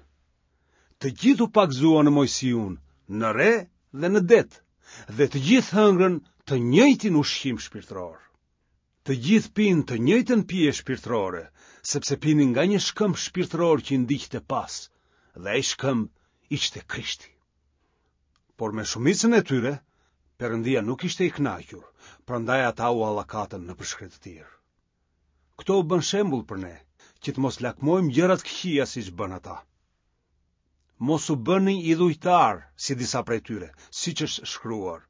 Të gjithë u pagëzuan në Moisiun, në re dhe në det, dhe të gjithë hëngrën të njëjtin ushqim shpirtëror. Të gjithë pinë të njëjtën pije shpirtërore, sepse pinin nga një shkëmb shpirtëror që i ndiqte pas, dhe ai shkëmb ishte Krishti. Por me shumicën e tyre, Perëndia nuk ishte i kënaqur, prandaj ata u hallakatën nëpër shkretëtirë. Këto u bënë shembull për ne, që të mos lakmojmë gjëra të këqija siç bënë ata. Mos u bëni idhujtarë, si disa prej tyre, siç është shkruar.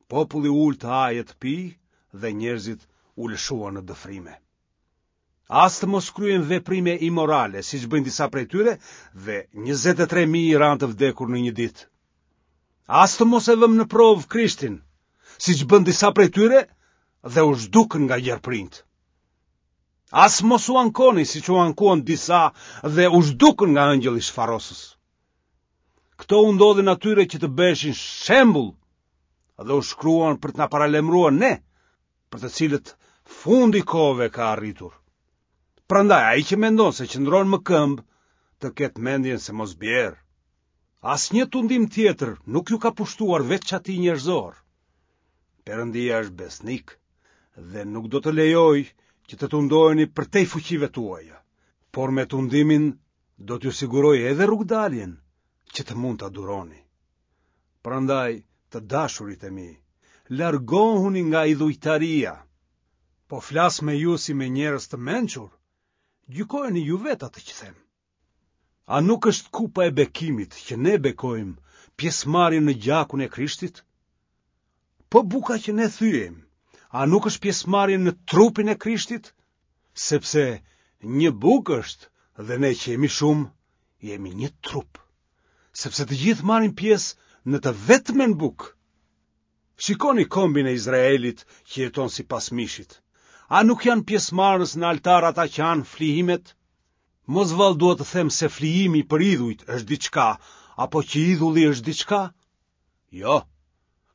Populli u ul të hajë e të pijë dhe njerëzit u lëshuan në dëfrime. As të mos kryejmë veprime imorale, siç bëjnë disa prej tyre, dhe njëzet e tre mijë ranë të vdekur në një ditë. As të mos e vëmë në provë Krishtin, siç bënë disa prej tyre dhe u zhdukën nga gjarpërinjtë. As mos u ankoni, siç u ankuan disa dhe u zhdukën nga ëngjëlli shfarosës. Këto u ndodhin atyre që të bëheshin shembull dhe u shkruan për të na paralajmëruar ne, për të cilët fundi i kohëve ka arritur. Prandaj ai që mendon se qëndron më këmbë, të ketë mendjen se mos bjerë. Asnjë tundim tjetër nuk ju ka pushtuar veç atij njerëzor. Perëndia është besnik dhe nuk do të lejojë që të tundoheni përtej fuqive tuaja, por me tundimin do t'ju sigurojë edhe rrugëdaljen që të mund ta duroni. Prandaj, të dashurit e mi, largohuni nga idhujtaria. Po flas me ju si me njerëz të mençur, gjykojeni ju vetë atë që them. A nuk është kupa e bekimit që ne bekojmë pjesëmarrje në gjakun e Krishtit? Po buka që ne thyejmë, a nuk është pjesëmarrje në trupin e Krishtit? Sepse një bukë është dhe ne që jemi shumë, jemi një trup. Sepse të gjithë marrin pjesë në të vetmen bukë. Shikoni kombin e Izraelit që jeton sipas mishit. A nuk janë pjesëmarrës në altar ata që hanë flijimet? Mos vallë dua të them se flijimi për idhujt është diçka, apo që idhulli është diçka? Jo,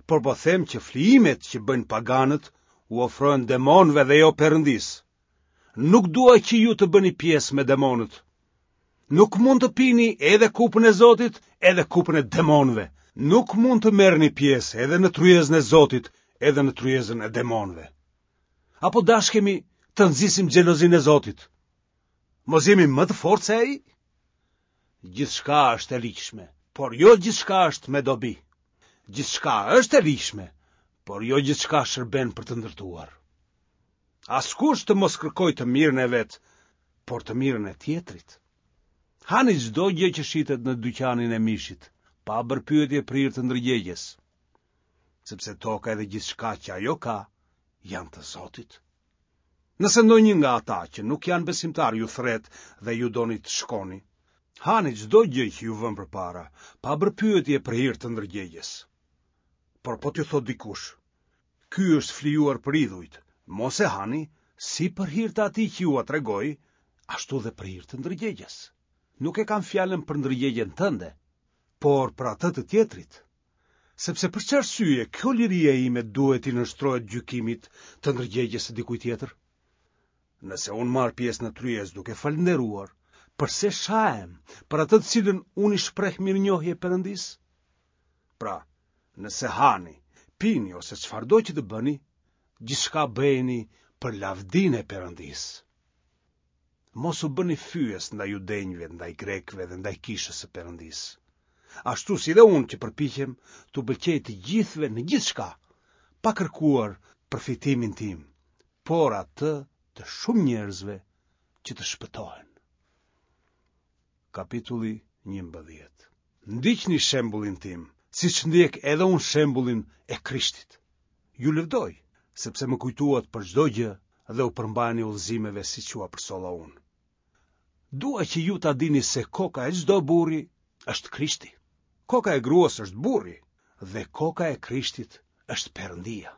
por po them që flijimet që bëjnë paganët u ofrohen demonëve dhe jo Perëndisë. Nuk dua që ju të bëni pjesë me demonët. Nuk mund të pini edhe kupën e Zotit, edhe kupën e demonëve. Nuk mund të merrni pjesë edhe në tryezën e Zotit, edhe në tryezën e demonëve. Apo dashkemi të nxisim xhelozinë e Zotit? Mos jemi më të fortë se ai? Gjithçka është e ligjshme, por jo gjithçka është me dobi. Gjithçka është e ligjshme, por jo gjithçka shërben për të ndërtuar. Askush të mos kërkojë të mirën e vet, por të mirën e tjetrit. Hani çdo gjë që shitet në dyqanin e mishit, pa bërë pyetje për hir të ndërgjegjes, sepse toka edhe gjithçka që ajo ka janë të Zotit. Nëse ndonjë nga ata që nuk janë besimtarë ju thërret dhe ju doni të shkoni, hani çdo gjë që ju vën përpara, pa bërë pyetje për hir të ndërgjegjes. Por po t'ju thotë dikush, ky është flijuar për idhujt, mos e hani si për hir të atij që jua tregoi, ashtu dhe për hir të ndërgjegjes. Nuk e kam fjalën për ndërgjegjen tënde, por për atë të tjetrit. Sepse për çfarë arsye kjo liria ime duhet t'i nënshtrohet gjykimit të ndërgjegjes së dikujt tjetër? Nëse unë marr pjesë në tryezë duke falënderuar, përse shahem për atë të cilën unë i shpreh mirënjohje Perëndisë? Pra, nëse hani, pini ose çfarëdo që të bëni, gjithçka bëjeni për lavdinë e Perëndisë. Mos u bëni fyes ndaj judenjve, ndaj grekëve dhe ndaj kishës së Perëndisë. Ashtu si dhe unë që përpiqem t'u pëlqej të gjithëve në gjithçka, pa kërkuar përfitimin tim, por atë të shumë njerëzve që të shpëtohen. Kapitulli njëmbëdhjetë. Ndiqni shembullin tim, siç ndjek edhe unë shembullin e Krishtit. Ju lëvdoj, sepse më kujtuat për çdo gjë dhe u përmbaheni udhëzimeve siç jua përcolla unë. Dua që ju ta dini se koka e çdo burri është Krishti. Koka e gruas është burri dhe koka e Krishtit është Perëndia.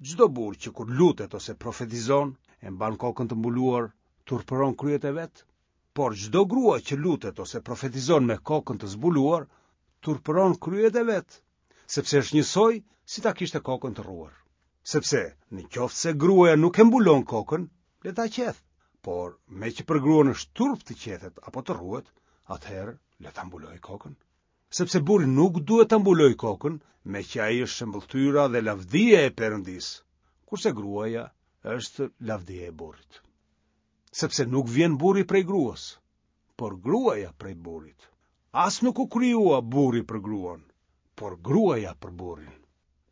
Çdo burrë që kur lutet ose profetizon, e mban kokën të mbuluar, turpëron kryet e vet, por çdo grua që lutet ose profetizon me kokën të zbuluar, turpëron kryet e vet, sepse është njësoj si ta kishte kokën të rruar. Sepse, në qoftë se gruaja nuk e mbulon kokën, le ta qethë, por meqë për gruan është turp të qethet apo të rruhet, atëherë le ta mbulojë kokën. Sepse burri nuk duhet ta mbulojë kokën, meqë ai është shëmbëlltyra dhe lavdia e Perëndisë, kurse gruaja është lavdia e burrit. Sepse nuk vjen burri prej gruas, por gruaja prej burrit. As nuk u krijua burri për gruan, por gruaja për burrin.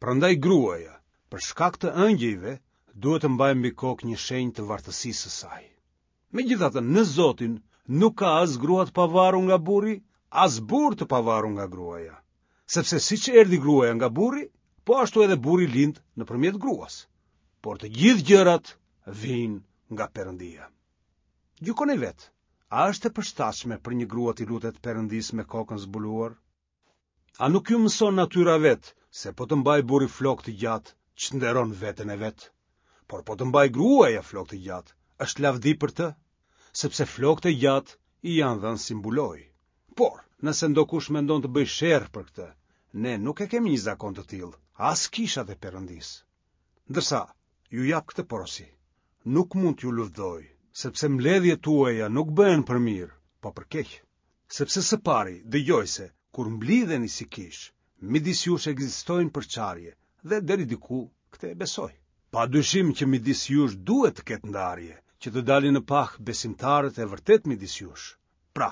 Prandaj gruaja, për shkak të ëngjëjve, duhet të mbajë mbi kokë një shenjë të vartësisë së saj. Megjithatë, në Zotin nuk ka as grua të pavarur nga burri, as burrë të pavarur nga gruaja. Sepse siç erdhi gruaja nga burri, po ashtu edhe burri lind nëpërmjet gruas. Por të gjithë gjërat vijnë nga Perëndia. Gjykoni vetë, a është e përshtatshme për një grua t'i lutet Perëndisë me kokën zbuluar? A nuk ju mëson natyra vetë se po të mbajë burri flokë të gjatë, çnderon veten e vet? Por po të mbajë gruaja flokë të gjatë, është lavdi për të, sepse flokët e gjatë i janë dhënë si mbulojë. Por, nëse ndokush mendon të bëjë sherr për këtë, ne nuk e kemi një zakon të tillë, as kishat e Perëndisë. Ndërsa, ju jap këtë porosi. Nuk mund t'ju lëvdoj, sepse mbledhjet tuaja nuk bëhen për mirë, po për keq. Sepse së pari, dëgjoj se, kur mblidheni si kishë, midis jush ekzistojnë përçarje, dhe deri diku këtë e besoj. Pa dyshim që midis jush duhet të ketë ndarje, që të dalin në pah besimtarët e vërtetë midis jush. Pra,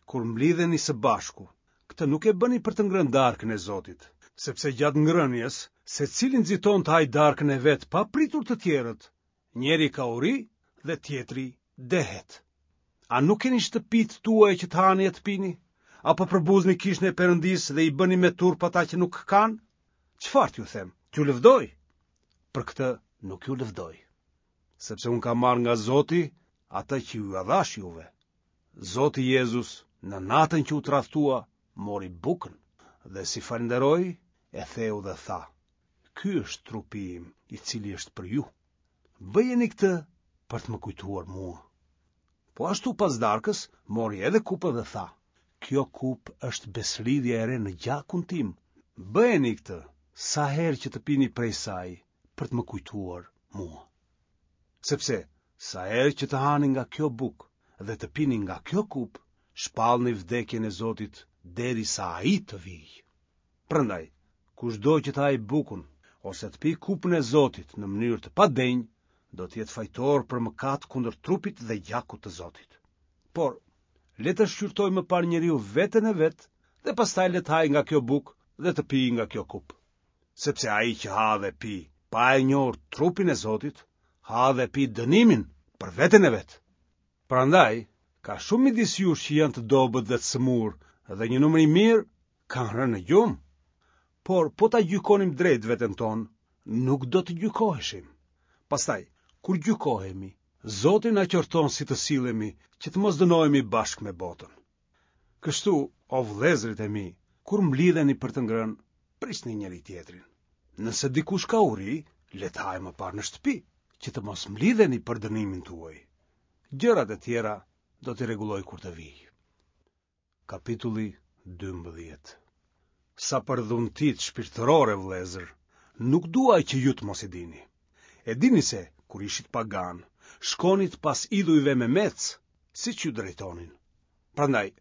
kur mblidheni së bashku, këtë nuk e bëni për të ngrënë darkën e Zotit, sepse gjatë ngrënies, secili nxiton të hajë darkën e vet pa pritur të tjerët. Njëri ka uri dhe tjetri dehet. A nuk keni shtëpitë tuaja që të hani e të pini? Apo përbuzni kishën e Perëndisë dhe i bëni me turp ata që nuk kanë? Çfarë t'ju them? T'ju lëvdoj? Për këtë nuk ju lëvdoj, sepse unë kam marrë nga Zoti atë që ju dhash juve. Zoti Jezus, në natën që u tradhtua, mori bukën dhe si falënderoi, e theu dhe tha: Ky është trupi im, i cili është për ju. Bëjeni këtë për të më kujtuar mua. Po ashtu pas darkës, mori edhe kupën dhe tha: Kjo kupë është besëlidhja e re në gjakun tim. Bëjeni këtë sa herë që të pini prej saj për të më kujtuar mua. Sepse sa herë që të hani nga kjo bukë dhe të pini nga kjo kupë, shpallni vdekjen e Zotit derisa ai të vijë. Prandaj, kushdo që të hajë bukën ose të pijë kupën e Zotit në mënyrë të padenjë, do të jetë fajtor për mëkat kundër trupit dhe gjakut të Zotit. Por, le të shqyrtojë më parë njeriu veten e vet dhe pastaj le të hajë nga kjo bukë dhe të pijë nga kjo kupë. Sepse ai që ha dhe pi pa e njohur trupin e Zotit, ha dhe pi dënimin për veten e vet. Prandaj, ka shumë midis jush që janë të dobët dhe të sëmurë dhe një numër i mirë kanë rënë në gjumë. Por po ta gjykonim drejt veten tonë, nuk do të gjykoheshim. Pastaj, kur gjykohemi, Zoti na qorton si të sillemi, që të mos dënohemi bashkë me botën. Kështu, o vëllezërit e mi, kur mblidheni për të ngrënë, prisni njëri tjetrin. Nëse dikush ka uri, le të hajë më parë në shtëpi, që të mos mblidheni për dënimin tuaj. Gjërat e tjera do t'i rregulloj kur të vijë. Kapitulli dymbëdhjetë. Sa për dhuntitë shpirtërore, vëllezër, nuk dua që ju të mos i dini. E dini se, kur ishit pagan, shkonit pas idhujve me mec, siç ju drejtonin. Prandaj,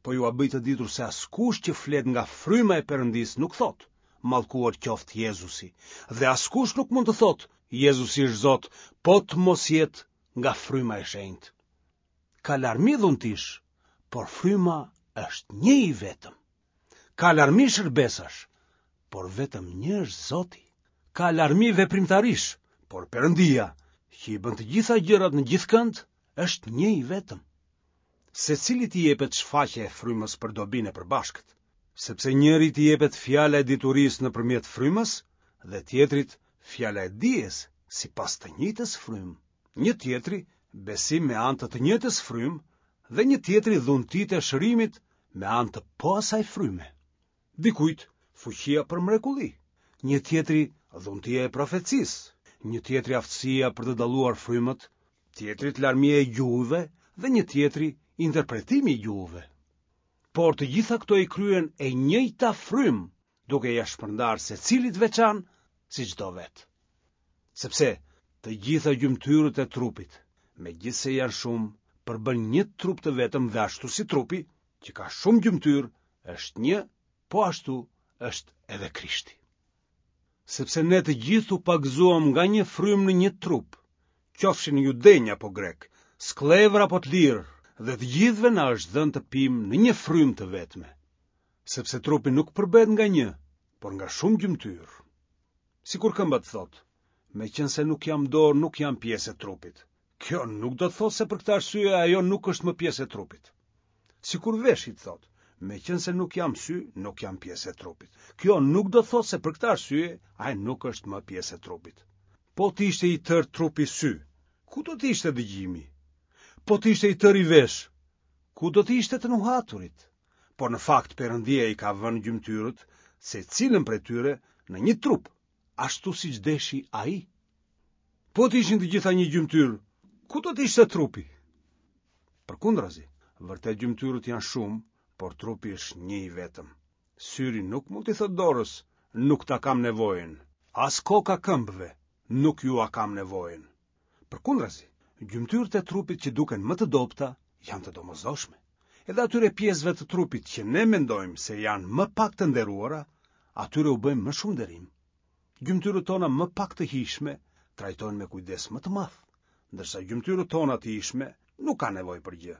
po jua bëj të ditur se askush që flet nga fryma e Perëndisë nuk thotë, mallkuar qoftë Jezusi, dhe askush nuk mund të thotë, Jezusi është Zot, po të mos jetë nga fryma e shenjtë. Ka larmi dhuntish, por fryma është një i vetëm. Ka larmi shërbesash, por vetëm një është Zoti. Ka larmi veprimtarish, por Perëndia, që i bën të gjitha gjërat në gjithë kënd, është një i vetëm. Secilit i jepet shfaqja e frymës për dobinë e përbashkët, sepse njërit i jepet fjala e diturisë nëpërmjet frymës dhe tjetrit fjala e dijes sipas të njëjtës frymë, një tjetri besim me anë të të njëjtës frymë dhe një tjetri dhuntitë e shërimit me anë të po asaj fryme. Dikujt fuqia për mrekulli, një tjetri dhuntia e profecisë, një tjetri aftësia për të dalluar frymët, tjetrit larmia e gjuhëve dhe një tjetri interpretimi i gjuhëve. Por të gjitha këto i kryen e njëjta frymë, duke ia shpërndarë secilit veçan siç do vetë. Sepse të gjitha gjymtyrët e trupit, megjithëse janë shumë, përbëjnë një trup të vetëm dhe ashtu si trupi, që ka shumë gjymtyrë, është një, po ashtu është edhe Krishti. Sepse ne të gjithë u pagëzuam nga një frymë në një trup, qofshin judenj apo grekë, skllevër apo të lirë, dhe të gjithëve na është dhënë të pimë në një frymë të vetme. Sepse trupi nuk përbëhet nga një, por nga shumë gjymtyrë. Sikur këmba të thotë, meqenëse nuk jam dorë, nuk jam pjesë e trupit. Kjo nuk do të thotë se për këtë arsye ajo nuk është më pjesë e trupit. Sikur veshi të thotë, meqenëse nuk jam sy, nuk jam pjesë e trupit. Kjo nuk do të thotë se për këtë arsye ai nuk është më pjesë e trupit. Po të ishte i tërë trupi sy, ku do të ishte dëgjimi? Po të ishte i tëri vesh, ku do të ishte të nuhaturit? Por në fakt Perëndia i ka vënë gjymtyrët, secilën prej tyre, në një trup, ashtu siç deshi ai. Po të ishin të gjitha një gjymtyrë, ku do të ishte trupi? Përkundrazi, vërtet gjymtyrët janë shumë, por trupi është një i vetëm. Syri nuk mund t'i thotë dorës, nuk ta kam nevojën, as koka këmbëve, nuk jua kam nevojën. Përkundrazi, gjymtyrët e trupit që duken më të dobëta janë të domosdoshme. Edhe atyre pjesëve të trupit që ne mendojmë se janë më pak të nderuara, atyre u bëjmë më shumë nderim. Gjymtyrët tona më pak të hijshme trajtojnë me kujdes më të madh, ndërsa gjymtyrët tona të hijshme nuk kanë nevojë për gjë.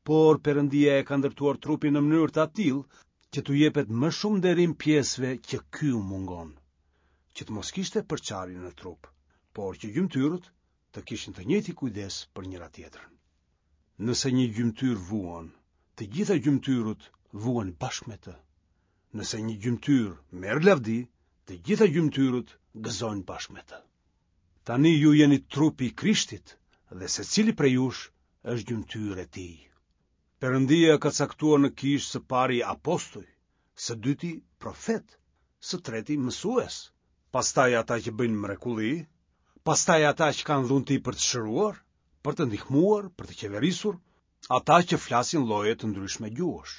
Por Perëndia e ka ndërtuar trupin në mënyrë të atillë që t'u jepet më shumë nderim pjesëve që ky u mungon, që të mos kishte përçarje në trup, por që gjymtyrët të kishin të njëjtin kujdes për njëra tjetrën. Nëse një gjymtyrë vuan, të gjitha gjymtyrët vuan bashkë me të. Nëse një gjymtyrë merr lavdi, të gjitha gjymtyrët gëzojnë bashkë me të. Tani ju jeni trupi i Krishtit dhe secili prej jush është gjymtyrë e tij. Perëndia ka caktuar në kishë së pari apostuj, së dyti profet, së treti mësues, pastaj ata që bëjnë mrekulli, pastaj ata që kanë dhunti për të shëruar, për të ndihmuar, për të qeverisur, ata që flasin lloje të ndryshme gjuhësh.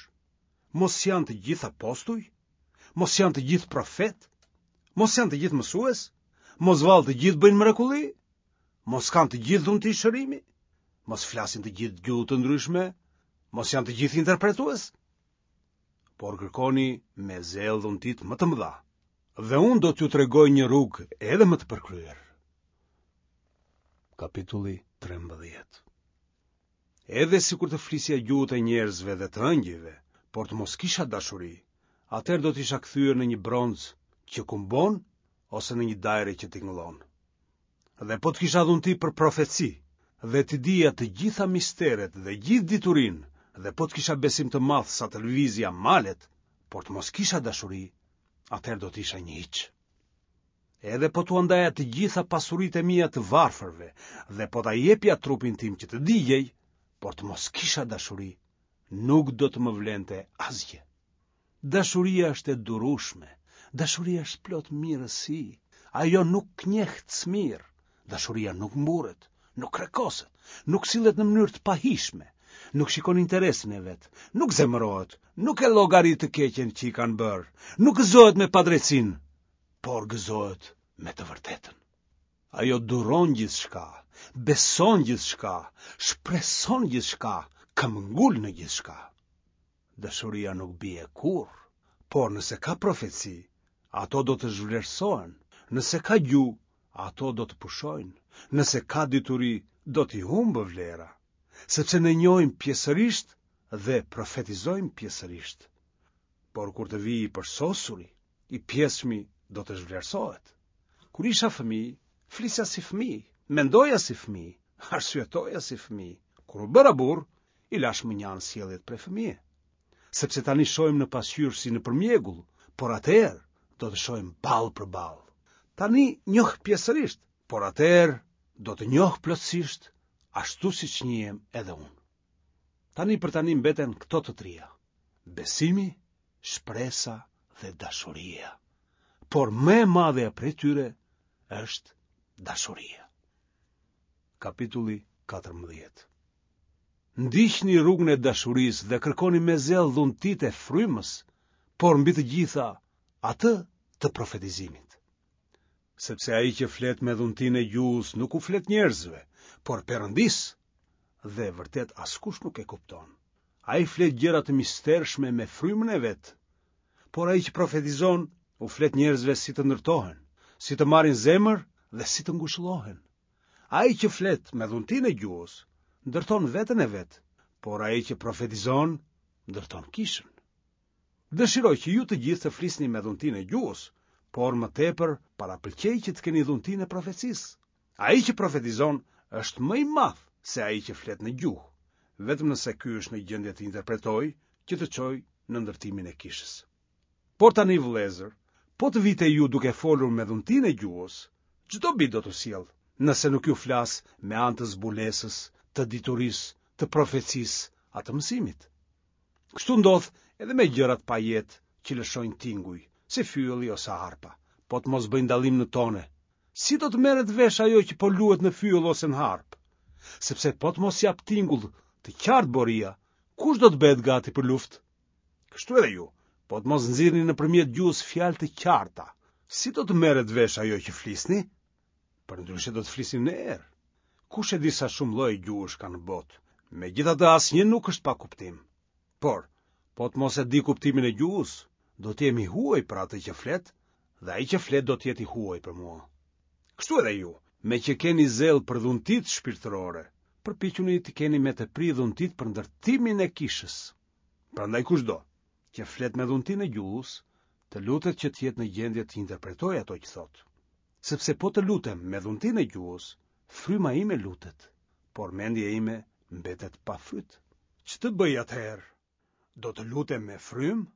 Mos janë të gjithë apostuj? Mos janë të gjithë profet? Mos janë të gjithë mësues? Mos vallë të gjithë bëjnë mrekulli? Mos kanë të gjithë dhunti shërimi? Mos flasin të gjithë gjuhë të ndryshme? Mos janë të gjithë interpretues? Por kërkoni me zell dhuntitë më të mëdha, dhe unë do t'ju tregoj një rrugë edhe më të përkryer. Kapitulli trembëdhjetë. Edhe sikur të flisja gjuhët e njerëzve dhe të ëngjëjve, por të mos kisha dashuri, atëherë do të isha kthyer në një bronz që kumbon ose në një dajre që tingëllon. Dhe po të kisha dhunti për profeci, dhe të dija të gjitha misteret dhe gjithë diturinë, dhe po të kisha besim të madh sa të lëvizja malet, por të mos kisha dashuri, atëherë do të isha një hiç. Edhe po t'ua ndaja të gjitha pasuritë e mia të varfërve, dhe po ta jepja trupin tim që të digjej, por të mos kisha dashuri, nuk do të më vlente asgjë. Dashuria është e durueshme, dashuria është plot mirësi, ajo nuk njeh smirë, dashuria nuk mburret, nuk krekoset, nuk sillet në mënyrë të pahishme, nuk shikon interesin e vet, nuk zemërohet, nuk e llogarit të keqen që i kanë bërë, nuk gëzohet me padrejtsinë, por gëzohet me të vërtetën. Ajo duron gjithçka, beson gjithçka, shpreson gjithçka, këmbëngul në gjithçka. Dashuria nuk bie kurrë, por nëse ka profeci, ato do të zhvlerësohen, nëse ka gjuhë, ato do të pushojnë, nëse ka dituri, do t'i humbë vlera, sepse ne njohim pjesërisht dhe profetizojmë pjesërisht. Por kur të vijë i përsosuri, i pjesshmi do të zhvlerësohet. Kur isha fëmijë, flisja si fëmijë, mendoja si fëmijë, arsyetoja si fëmijë. Kur u bëra burr, I lashë mënjanë sjelljet prej fëmije. Sepse tani shohim në pasqyrë si nëpër mjegull, por atëherë do të shohim ballë për ballë. Tani njoh pjesërisht, por atëherë do të njoh plotësisht, ashtu siç njihem edhe unë. Tani për tani mbeten këto të tria: besimi, shpresa dhe dashuria. Por më e madhja prej tyre është dashuria. Kapitulli katërmbëdhjetë. Ndiqni rrugën e dashurisë dhe kërkoni me zell dhuntitë e frymës, por mbi të gjitha atë të profetizimit. Sepse ai që flet me dhuntinë e gjuhës nuk u flet njerëzve, por Perëndisë, dhe vërtet askush nuk e kupton. Ai flet gjëra të mistershme me frymën e vet, por ai që profetizon u flet njerëzve si të ndërtohen, si të marrin zemër dhe si të ngushëllohen. Ai që flet me dhuntinë e gjuhës ndërton veten e vet, por ai që profetizon ndërton kishën. Dëshiroj që ju të gjithë të flisni me dhuntinë e gjuhës, por më tepër parapëlqej që të keni dhuntinë e profecisë. Ai që profetizon është më i madh se ai që flet në gjuhë, vetëm nëse ky është në gjendje të interpretojë që të çojë në ndërtimin e kishës. Por tani vëllezër, po të vij te ju duke folur me dhuntinë e gjuhës, ç'do dobi do t'ju sjell, nëse nuk ju flas me anë të zbulesës, të diturisë, të profecisë a të mësimit. Kështu ndodh edhe me gjërat pa jetë që lëshojnë tinguj, si fyelli ose harpa, po të mos bëjnë dallim në tone. Si do të merret vesh ajo që po luhet në fyell ose në harp? Sepse po të mos jap tingull të qartë boria, kush do të bëhet gati për luftë? Kështu edhe ju, po të mos nxirrni nëpërmjet gjuhës fjalë të qarta, si do të merret vesh ajo që flisni? Përndryshe do të flisni në erë. Kush e di sa shumë lloje gjuhësh ka në botë? Megjithatë asnjë nuk është pa kuptim. Por, po të mos e di kuptimin e gjuhës, do të jem i huaj për atë që flet, dhe ai që flet do të jetë i huaj për mua. Kështu edhe ju, me që keni zell për dhuntitë shpirtërore, përpiquni të keni me tepri dhuntitë për ndërtimin e kishës. Prandaj kushdo që flet me dhuntinë e gjuhës, të lutet që të jetë në gjendje të interpretojë ato që thotë. Sepse po të lutem me dhuntinë e gjuhës, fryma ime lutet, por mendja ime mbetet pa fryt. Ç'të bëj atëherë? Do të lutem me frymë,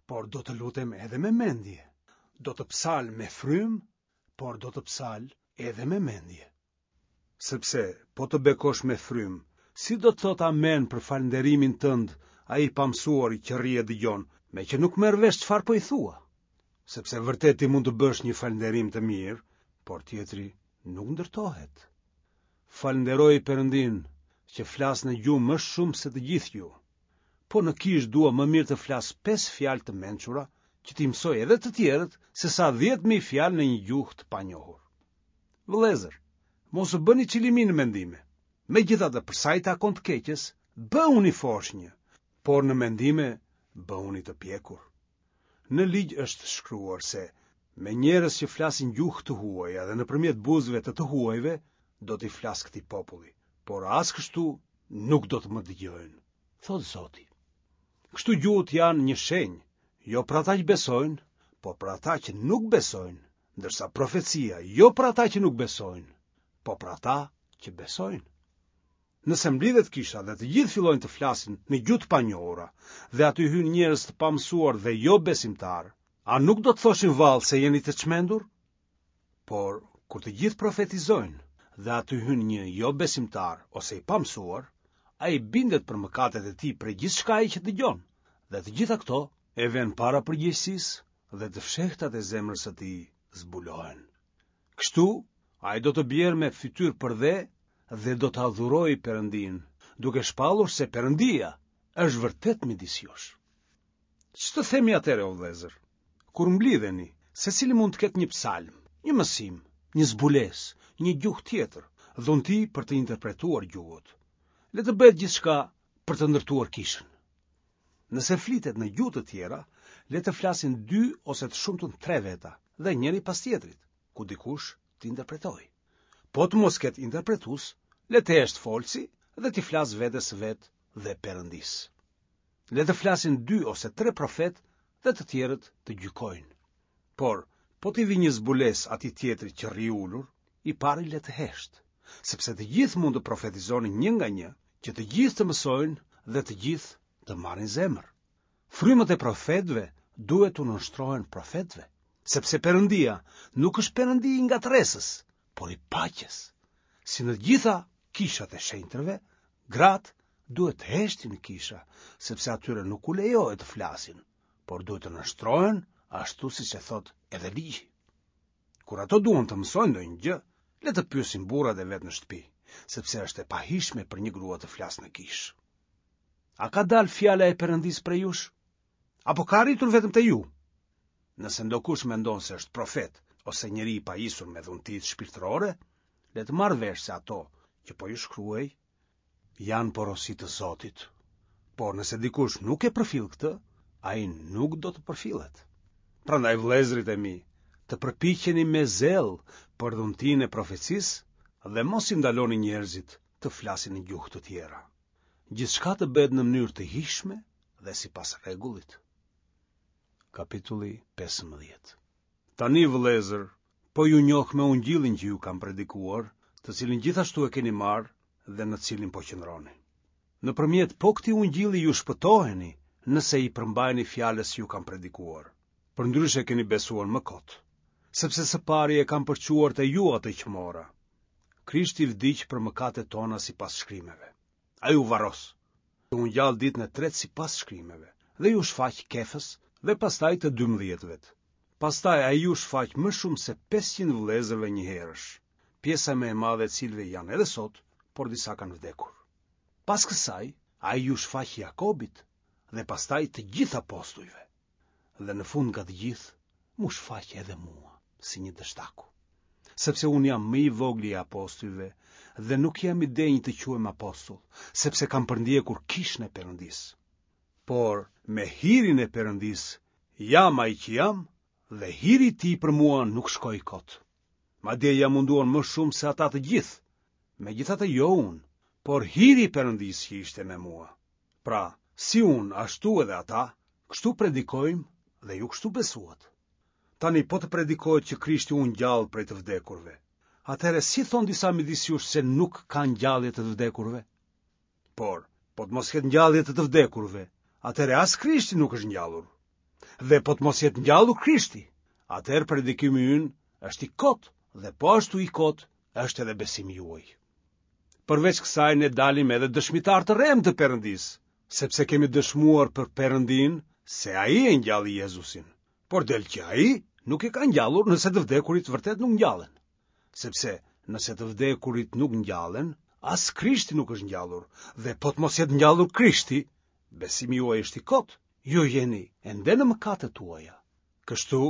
por do të lutem edhe me mendje. Do të psal me frymë, por do të psal edhe me mendje. Sepse po të bekosh me frymë, si do të thotë amen për falënderimin tënd ai i pamësuari që rri e dëgjon, me që nuk merr vesh çfarë po i thua? Sepse vërtet ti mund të bësh një falënderim të mirë, por tjetri nuk ndërtohet. Falënderoj Perëndin që flas në gjuhë më shumë se të gjithë ju. Po në kishë dua më mirë të flas pesë fjalë të mençura që t'i mësoj edhe të tjerët se sa dhjetë mijë fjalë në një gjuhë të panjohur. Vëllezër, mos u bëni çilimi në mendime. Megjithatë, për sa i takon të keqes, bëhuni foshnjë, por në mendime bëhuni të pjekur. Në ligj është shkruar se me njerëz që flasin gjuhë të huaja dhe nëpërmjet buzëve të të huajve do t'i flas këtij populli, por as kështu nuk do të më dëgjojnë, thotë Zoti. Kështu gjuhët janë një shenjë, jo për ata që besojnë, por për ata që nuk besojnë, ndërsa profecia jo për ata që nuk besojnë, po për ata që besojnë. Nëse mblidhet kisha dhe të gjithë fillojnë të flasin në gjuhë të panjohura dhe aty hyjnë njerëz të pamësuar dhe jo besimtar, a nuk do të thoshin vallë se jeni të çmendur? Por kur të gjithë profetizojnë dhe aty hyn një jo besimtar ose i pamësuar, ai bindet për mëkatet e tij prej gjithçkaje që dëgjon, dhe të gjitha këto e vënë para përgjegjësisë dhe të fshehtat e zemrës së tij zbulohen. Kështu, ai do të bjerë me fytyrë për dhe dhe do të adhurojë Perëndin, duke shpallur se Perëndia është vërtet midis jush. Ç'të themi atëherë, o vëllezër? Kur mblidheni, secili mund të ketë një psalm, një mësim, një zbulesë, një gjuhë tjetër, dhunti për të interpretuar gjuhët. Le të bëhet gjithçka për të ndërtuar kishën. Nëse flitet në gjuhë të tjera, le të flasin dy ose të shumtën tre veta dhe njëri pas tjetrit, ku dikush të interpretojë. Po të mos ketë interpretues, le të hesht folësi dhe t'i flasë vetes së vet dhe Perëndisë. Le të flasin dy ose tre profet dhe të tjerët të gjykojnë. Por, po t'i vi një zbulesë atij tjetrit që rri ulur, i pari le të hesht, sepse të gjithë mund të profetizoni një nga një, që të gjithë të mësojnë dhe të gjithë të marrin zemër. Frymët e profetëve duhet t'u nënshtrohen profetëve, sepse Perëndia nuk është Perëndi i ngatërresës, por i paqes. Si në të gjitha kishat e shenjtërve, gratë duhet të heshtin në kisha, sepse atyre nuk u lejohet të flasin, por duhet të nënshtrohen ashtu siç e thotë edhe ligji. Kur ato duan të mësojnë ndonjë gjë, le të pyesin burrat e vet në shtëpi, sepse është e pahijshme për një grua të flasë në kishë. A ka dalë fjala e Perëndisë prej jush? Apo ka arritur vetëm te ju? Nëse ndokush mendon se është profet ose njeri i pajisur me dhuntitë shpirtërore, le të marrë vesh se ato që po ju shkruaj janë porosi të Zotit. Por nëse dikush nuk e përfill këtë, ai nuk do të përfillet. Prandaj vëllezërit e mi, të përpiqeni me zell për dhuntinë e profecisë dhe mos i ndaloni njerëzit të flasin në gjuhë të tjera. Gjithçka të bëhet në mënyrë të hijshme dhe sipas rregullit. Kapitulli pesëmbëdhjetë. Tani vëllezër, po ju njoh me ungjillin që ju kam predikuar, të cilin gjithashtu e keni marrë dhe në të cilin po qëndroni. Nëpërmjet po këtij ungjilli ju shpëtoheni, nëse i përmbaheni fjalës që ju kam predikuar. Përndryshe keni besuar më kot, sepse së pari e kam përçuar te ju atë që mora. Krishti vdiq për mëkatet tona sipas shkrimeve. Ai u varros, u ngjall ditën e tretë sipas shkrimeve dhe iu shfaq Kefës dhe pastaj të dymbëdhjetëve. Pastaj ai iu shfaq më shumë se pesëqind vëllezërve njëherësh, pjesa më e madhe e të cilëve janë edhe sot, por disa kanë vdekur. Pas kësaj, ai iu shfaq Jakobit dhe pastaj të gjithë apostujve. Dhe në fund nga të gjithë, m'u shfaq edhe mua, si një dështaku. Sepse unë jam më i vogli i apostujve dhe nuk jam i denjë të quhem apostull, sepse kam përndjekur kishën e Perëndisë. Por me hirin e Perëndisë jam ai që jam dhe hiri i tij për mua nuk shkoi kot. Madje jam munduar më shumë se ata të gjithë, megjithatë jo unë, por hiri i Perëndisë që ishte me mua. Pra, si unë, ashtu edhe ata, kështu predikojmë dhe ju kështu besuat. Tani po të predikohet që Krishti u ngjall prej të vdekurve. Atëherë si thonë disa midis jush se nuk ka ngjallje të të vdekurve? Por, po të mos ketë ngjallje të të vdekurve, atëherë as Krishti nuk është ngjallur. Dhe po të mos jetë ngjallur Krishti, atëherë predikimi ynë është i kotë dhe po ashtu i kotë është edhe besimi juaj. Përveç kësaj ne dalim edhe dëshmitarë të rremë të Perëndisë, sepse kemi dëshmuar për Perëndinë se ai e ngjalli Jezusin. Por del që ai nuk e ka ngjallur nëse të vdekurit vërtet nuk ngjallen. Sepse nëse të vdekurit nuk ngjallen, as Krishti nuk është ngjallur, dhe po të mos jetë ngjallur Krishti, besimi juaj është i kotë, ju jeni ende në mëkatet tuaja. Kështu,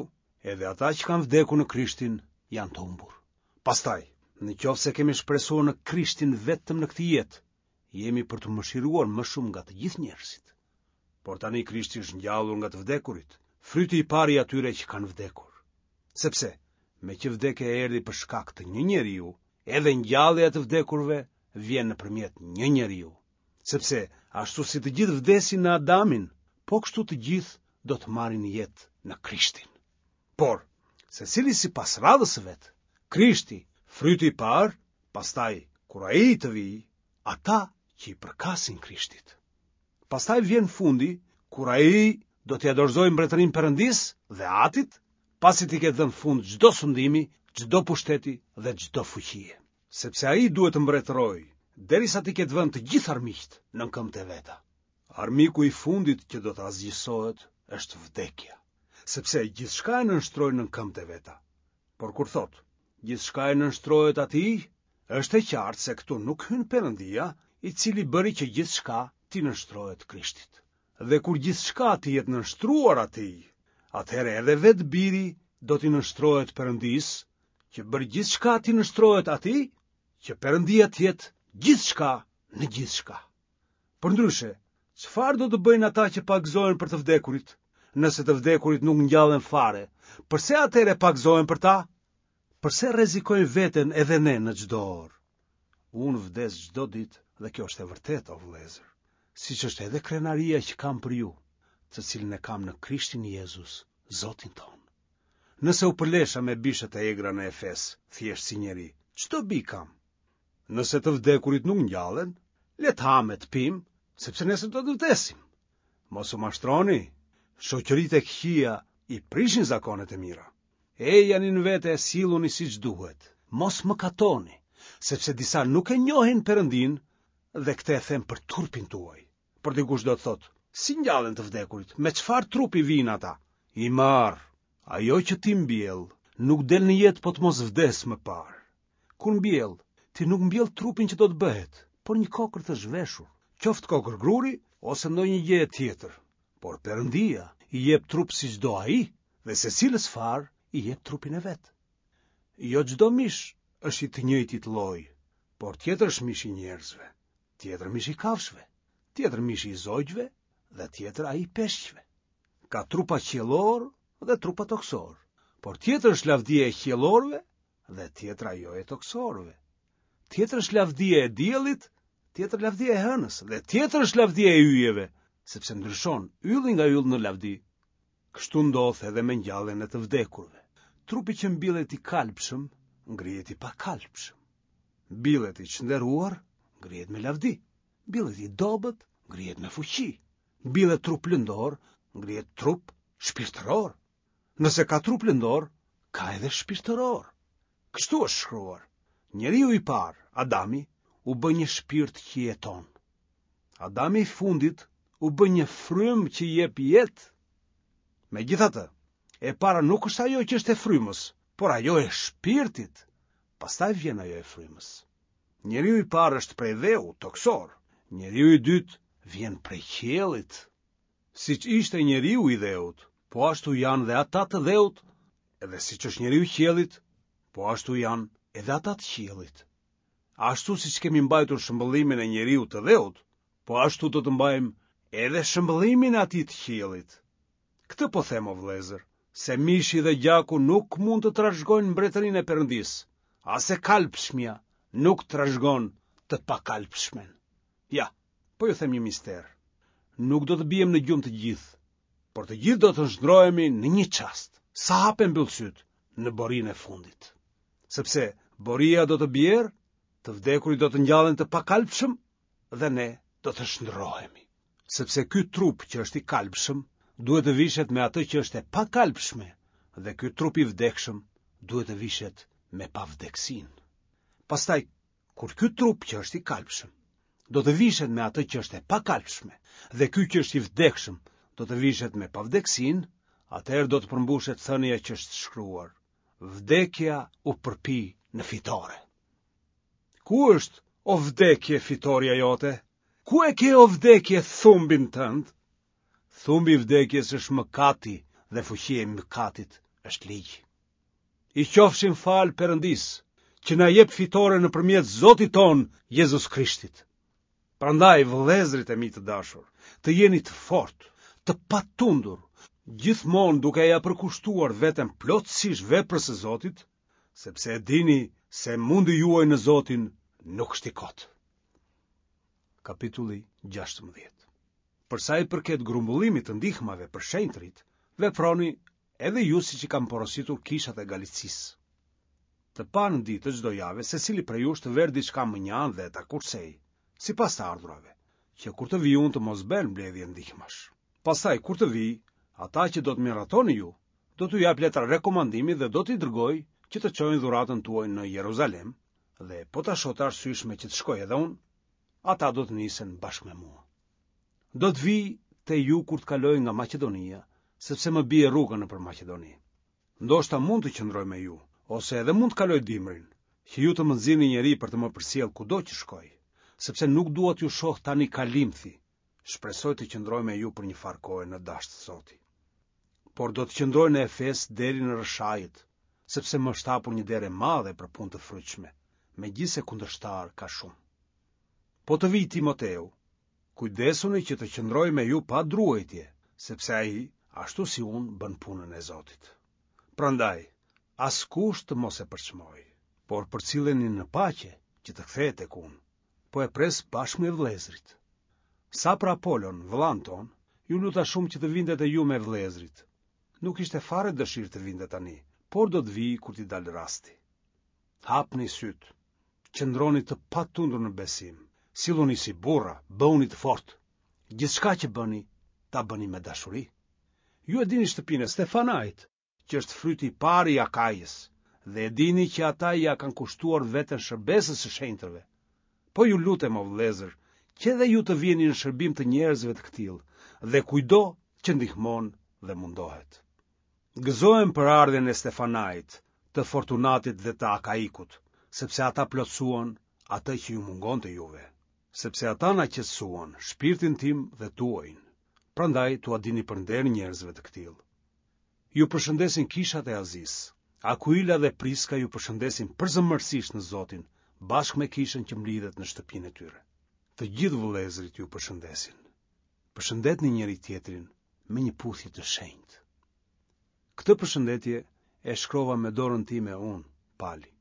edhe ata që kanë vdekur në Krishtin janë të humbur. Pastaj, në qoftë se kemi shpresuar në Krishtin vetëm në këtë jetë, jemi për t'u mëshiruar më shumë nga të gjithë njerëzit. Por tani Krishti është ngjallur nga të vdekurit, fryti i parë i atyre që kanë vdekur. Sepse, meqë vdekja erdhi për shkak të një njeriu, edhe ngjallja e të vdekurve vjen nëpërmjet një njeriu. Sepse, ashtu si të gjithë vdesin në Adamin, po kështu të gjithë do të marrin jetë në Krishtin. Por, secili sipas radhës së vet, Krishti, fryti i parë, pastaj, kur ai të vijë, ata që i përkasin Krishtit. Pastaj vjen fundi, kur ai do t'ia dorëzojë mbretërinë Perëndisë dhe Atit, pasi t'i ketë dhënë fund çdo sundimi, çdo pushteti dhe çdo fuqie. Sepse ai duhet të mbretërojë, derisa t'i ketë vënë të gjithë armiqtë nën këmbët e veta. Armiku i fundit që do të asgjësohet është vdekja, sepse gjithçka e nënshtroi nën këmbët e veta. Por kur thotë, gjithçka e nënshtrohet atij, është e qartë se këtu nuk hyn Perëndia, i cili bëri që gjithçka t'i nënshtrohet Krishtit. Dhe kur gjithçka t'i jetë nënshtruar atij, atëherë edhe vetë biri do t'i nënshtrohet Perëndisë, që bëri gjithçka t'i nënshtrohet atij, që Perëndia të jetë gjithçka në gjithçka. Përndryshe, çfarë do të bëjnë ata që pagëzohen për të vdekurit, nëse të vdekurit nuk ngjallen fare? Përse atëherë pagëzohen për ta? Përse rrezikojnë veten edhe ne në çdo orë? Unë vdes çdo ditë dhe kjo është e vërtetë, o vëllezër, siç është edhe krenaria që kam për ju, të cilën e kam në Krishtin Jezus, Zotin tonë. Nëse u përlesha me bishat e egra në Efes, thjesht si njeri, ç'dobi kam? Nëse të vdekurit nuk ngjallen, le të hamë e të pimë, sepse nesër do të vdesim. Mos u mashtroni, shoqëritë e këqija i prishin zakonet e mira. Ejani në vete e silluni siç duhet. Mos mëkatoni, sepse disa nuk e njohin Perëndinë dhe këtë e them për turpin tuaj. Por dikush do të thotë, si ngjallen të vdekurit, me çfarë trupi vijnë ata? I marrë, ajo që ti mbjell, nuk del në jetë po të mos vdesë më parë. Kur mbjell, ti nuk mbjell trupin që do të bëhet, por një kokërr të zhveshur, qoftë kokërr gruri ose ndonjë gjë tjetër. Por Perëndia i jep trup siç do ai dhe secilës farë i jep trupin e vet. Jo çdo mish është i të njëjtit lloj, por tjetër është mishi i njerëzve, tjetër mishi i kafshëve, tjetër mishi i zogjve dhe tjetër ai i peshqve. Ka trupa qiellorë dhe trupa tokësorë, por tjetër është lavdia e qiellorëve dhe tjetër ajo e tokësorëve. Tjetër është lavdia e diellit, tjetër lavdia e hënës dhe tjetër është lavdia e yjeve, sepse ndryshon ylli nga ylli në lavdi. Kështu ndodh edhe me ngjalljen e të vdekurve. Trupi që mbillet i kalbshëm, ngrihet i pakalbshëm. Mbillet i çnderuar, ngrihet me lavdi. Mbillet i dobët, ngrihet me fuqi. Mbillet trup lëndor, ngrihet trup shpirtëror. Nëse ka trup lëndor, ka edhe shpirtëror. Kështu është shkruar. Njeriu i parë, Adami, u bë një shpirt që jeton. Adami i fundit u bë një frymë që jep jetë. Megjithatë, e para nuk është ajo që është e frymës, por ajo e shpirtit. Pastaj vjen ajo e frymës. Njeriu i parë është prej dheu, tokësor. Njeriu i dytë vjen prej qiellit. Siç ishte njeriu i dheut, po ashtu janë dhe ata të dheut, edhe siç është njeriu i qiellit, po ashtu janë edhe ata të qiellit. Ashtu siç kemi mbajtur shëmbëllimin e njeriut të dheut, po ashtu do të mbajmë edhe shëmbëllimin e atij të qiellit. Këtë po them, o vëllezër, se mishi dhe gjaku nuk mund të trashëgojnë mbretërinë e Perëndisë, as e kalbshmja nuk trashëgon të pakalbshmen. Ja, po ju them një mister. Nuk do të biem në gjumë të gjithë, por të gjithë do të shndërrohemi në një çast, sa hap e mbyll sytë në borinë e fundit. Sepse boria do të bjerë, të vdekurit do të ngjallen të pakalbshëm dhe ne do të shndërrohemi. Sepse ky trup që është i kalbshëm duhet të vishet me atë që është e pakalbshme dhe ky trup i vdekshëm duhet të vishet me pavdekësinë. Pastaj, kur ky trup që është i kalbshëm do të vishet me atë që është e pakalbshme dhe ky që është i vdekshëm do të vishet me pavdekësinë, atëherë do të përmbushet thënia që është shkruar: Vdekja u përpi në fitore. Ku është, o vdekje, fitorja jote? Ku e ke, o vdekje, thumbin tënd? Thumbi i vdekjes është mëkati dhe fuqia e mëkatit është ligji. I qofshim falë Perëndisë, që na jep fitore nëpërmjet Zotit tonë Jezus Krishtit. Prandaj, vëllezërit e mi të dashur, të jeni të fortë, të patundur, gjithmonë duke ia përkushtuar veten plotësisht veprës së Zotit, sepse e dini se mundi juaj në Zotin nuk është i kotë. Kapitulli gjashtëmbëdhjetë. Për sa i përket grumbullimit të ndihmave për shenjtërit, veproni edhe ju siç i kam porositur kishat e Galicisë. Të parën ditë të çdo jave, secili prej jush të verë diçka mënjanë dhe ta kursejë, sipas të ardhurave, që kur të vij unë të mos bëhen mbledhje ndihmash. Pastaj kur të vij, ata që do të miratoni ju, do t'u jap letra rekomandimi dhe do t'i dërgoj që të çojnë dhuratën tuaj në Jeruzalem, dhe po ta shoh të arsyeshme që të shkoj edhe unë, ata do të nisen bashkë me mua. Do të vij te ju kur të kaloj nga Maqedonia, sepse më bie rruga nëpër Maqedoni. Ndoshta mund të qëndroj me ju, ose edhe mund të kaloj dimrin, që ju të më nxirrni njeri për të më përcjellë kudo që shkoj, sepse nuk dua t'ju shoh tani kalimthi. Shpresoj të qëndroj me ju për një farë kohe në dashtë Zoti. Por do të qëndroj në Efes deri në Rrëshajit, sepse më është hapur një derë e madhe për punë të frytshme, megjithëse kundërshtar ka shumë. Po të vijë Timoteu, kujdesuni që të qëndrojë me ju pa druajtje, sepse ai, ashtu si unë, bën punën e Zotit. Prandaj, askush të mos e përçmojë, por përcilleni në paqe që të kthehet tek unë. Po e pres bashkë me vëllezërit. Sa për Apolon, vëllanë tonë, ju luta shumë që të vinte te ju me vëllezërit. Nuk kishte fare dëshirë të vinte tani, por do të vijë kur t'i dalë rasti. Hapni sytë, qëndroni të patundur në besim, silluni si burra, bëhuni të fortë. Gjithçka që bëni, ta bëni me dashuri. Ju e dini shtëpinë e Stefanait, që është fryti i parë i Akajës, dhe e dini që ata ia kanë kushtuar veten shërbesës së shenjtërve. Po ju lutem, o vëllezër, që edhe ju të viheni në shërbim të njerëzve të këtillë dhe kujtdo që ndihmon dhe mundohet. Gëzohem për ardhjen e Stefanait, të Fortunatit dhe të Akaikut, sepse ata plotësuan atë që ju mungonte juve, sepse ata na qetësuan shpirtin tim dhe tuajin. Prandaj t'ua dini për nder njerëzve të këtillë. Ju përshëndesin kishat e Azisë. Akuila dhe Priska ju përshëndesin përzemërsisht në Zotin, bashkë me kishën që mblidhet në shtëpinë e tyre. Të gjithë vëllezërit ju përshëndesin. Përshëndetni njëri tjetrin me një puthje të shenjtë. Këtë përshëndetje e shkrova me dorën time unë, Pali.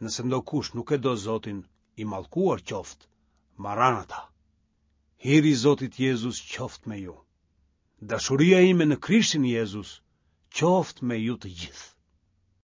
Nëse ndokush nuk e do Zotin, i mallkuar qoftë, Maranata. Hiri i Zotit Jezus qoftë me ju. Dashuria ime në Krishtin Jezus qoftë me ju të gjithë.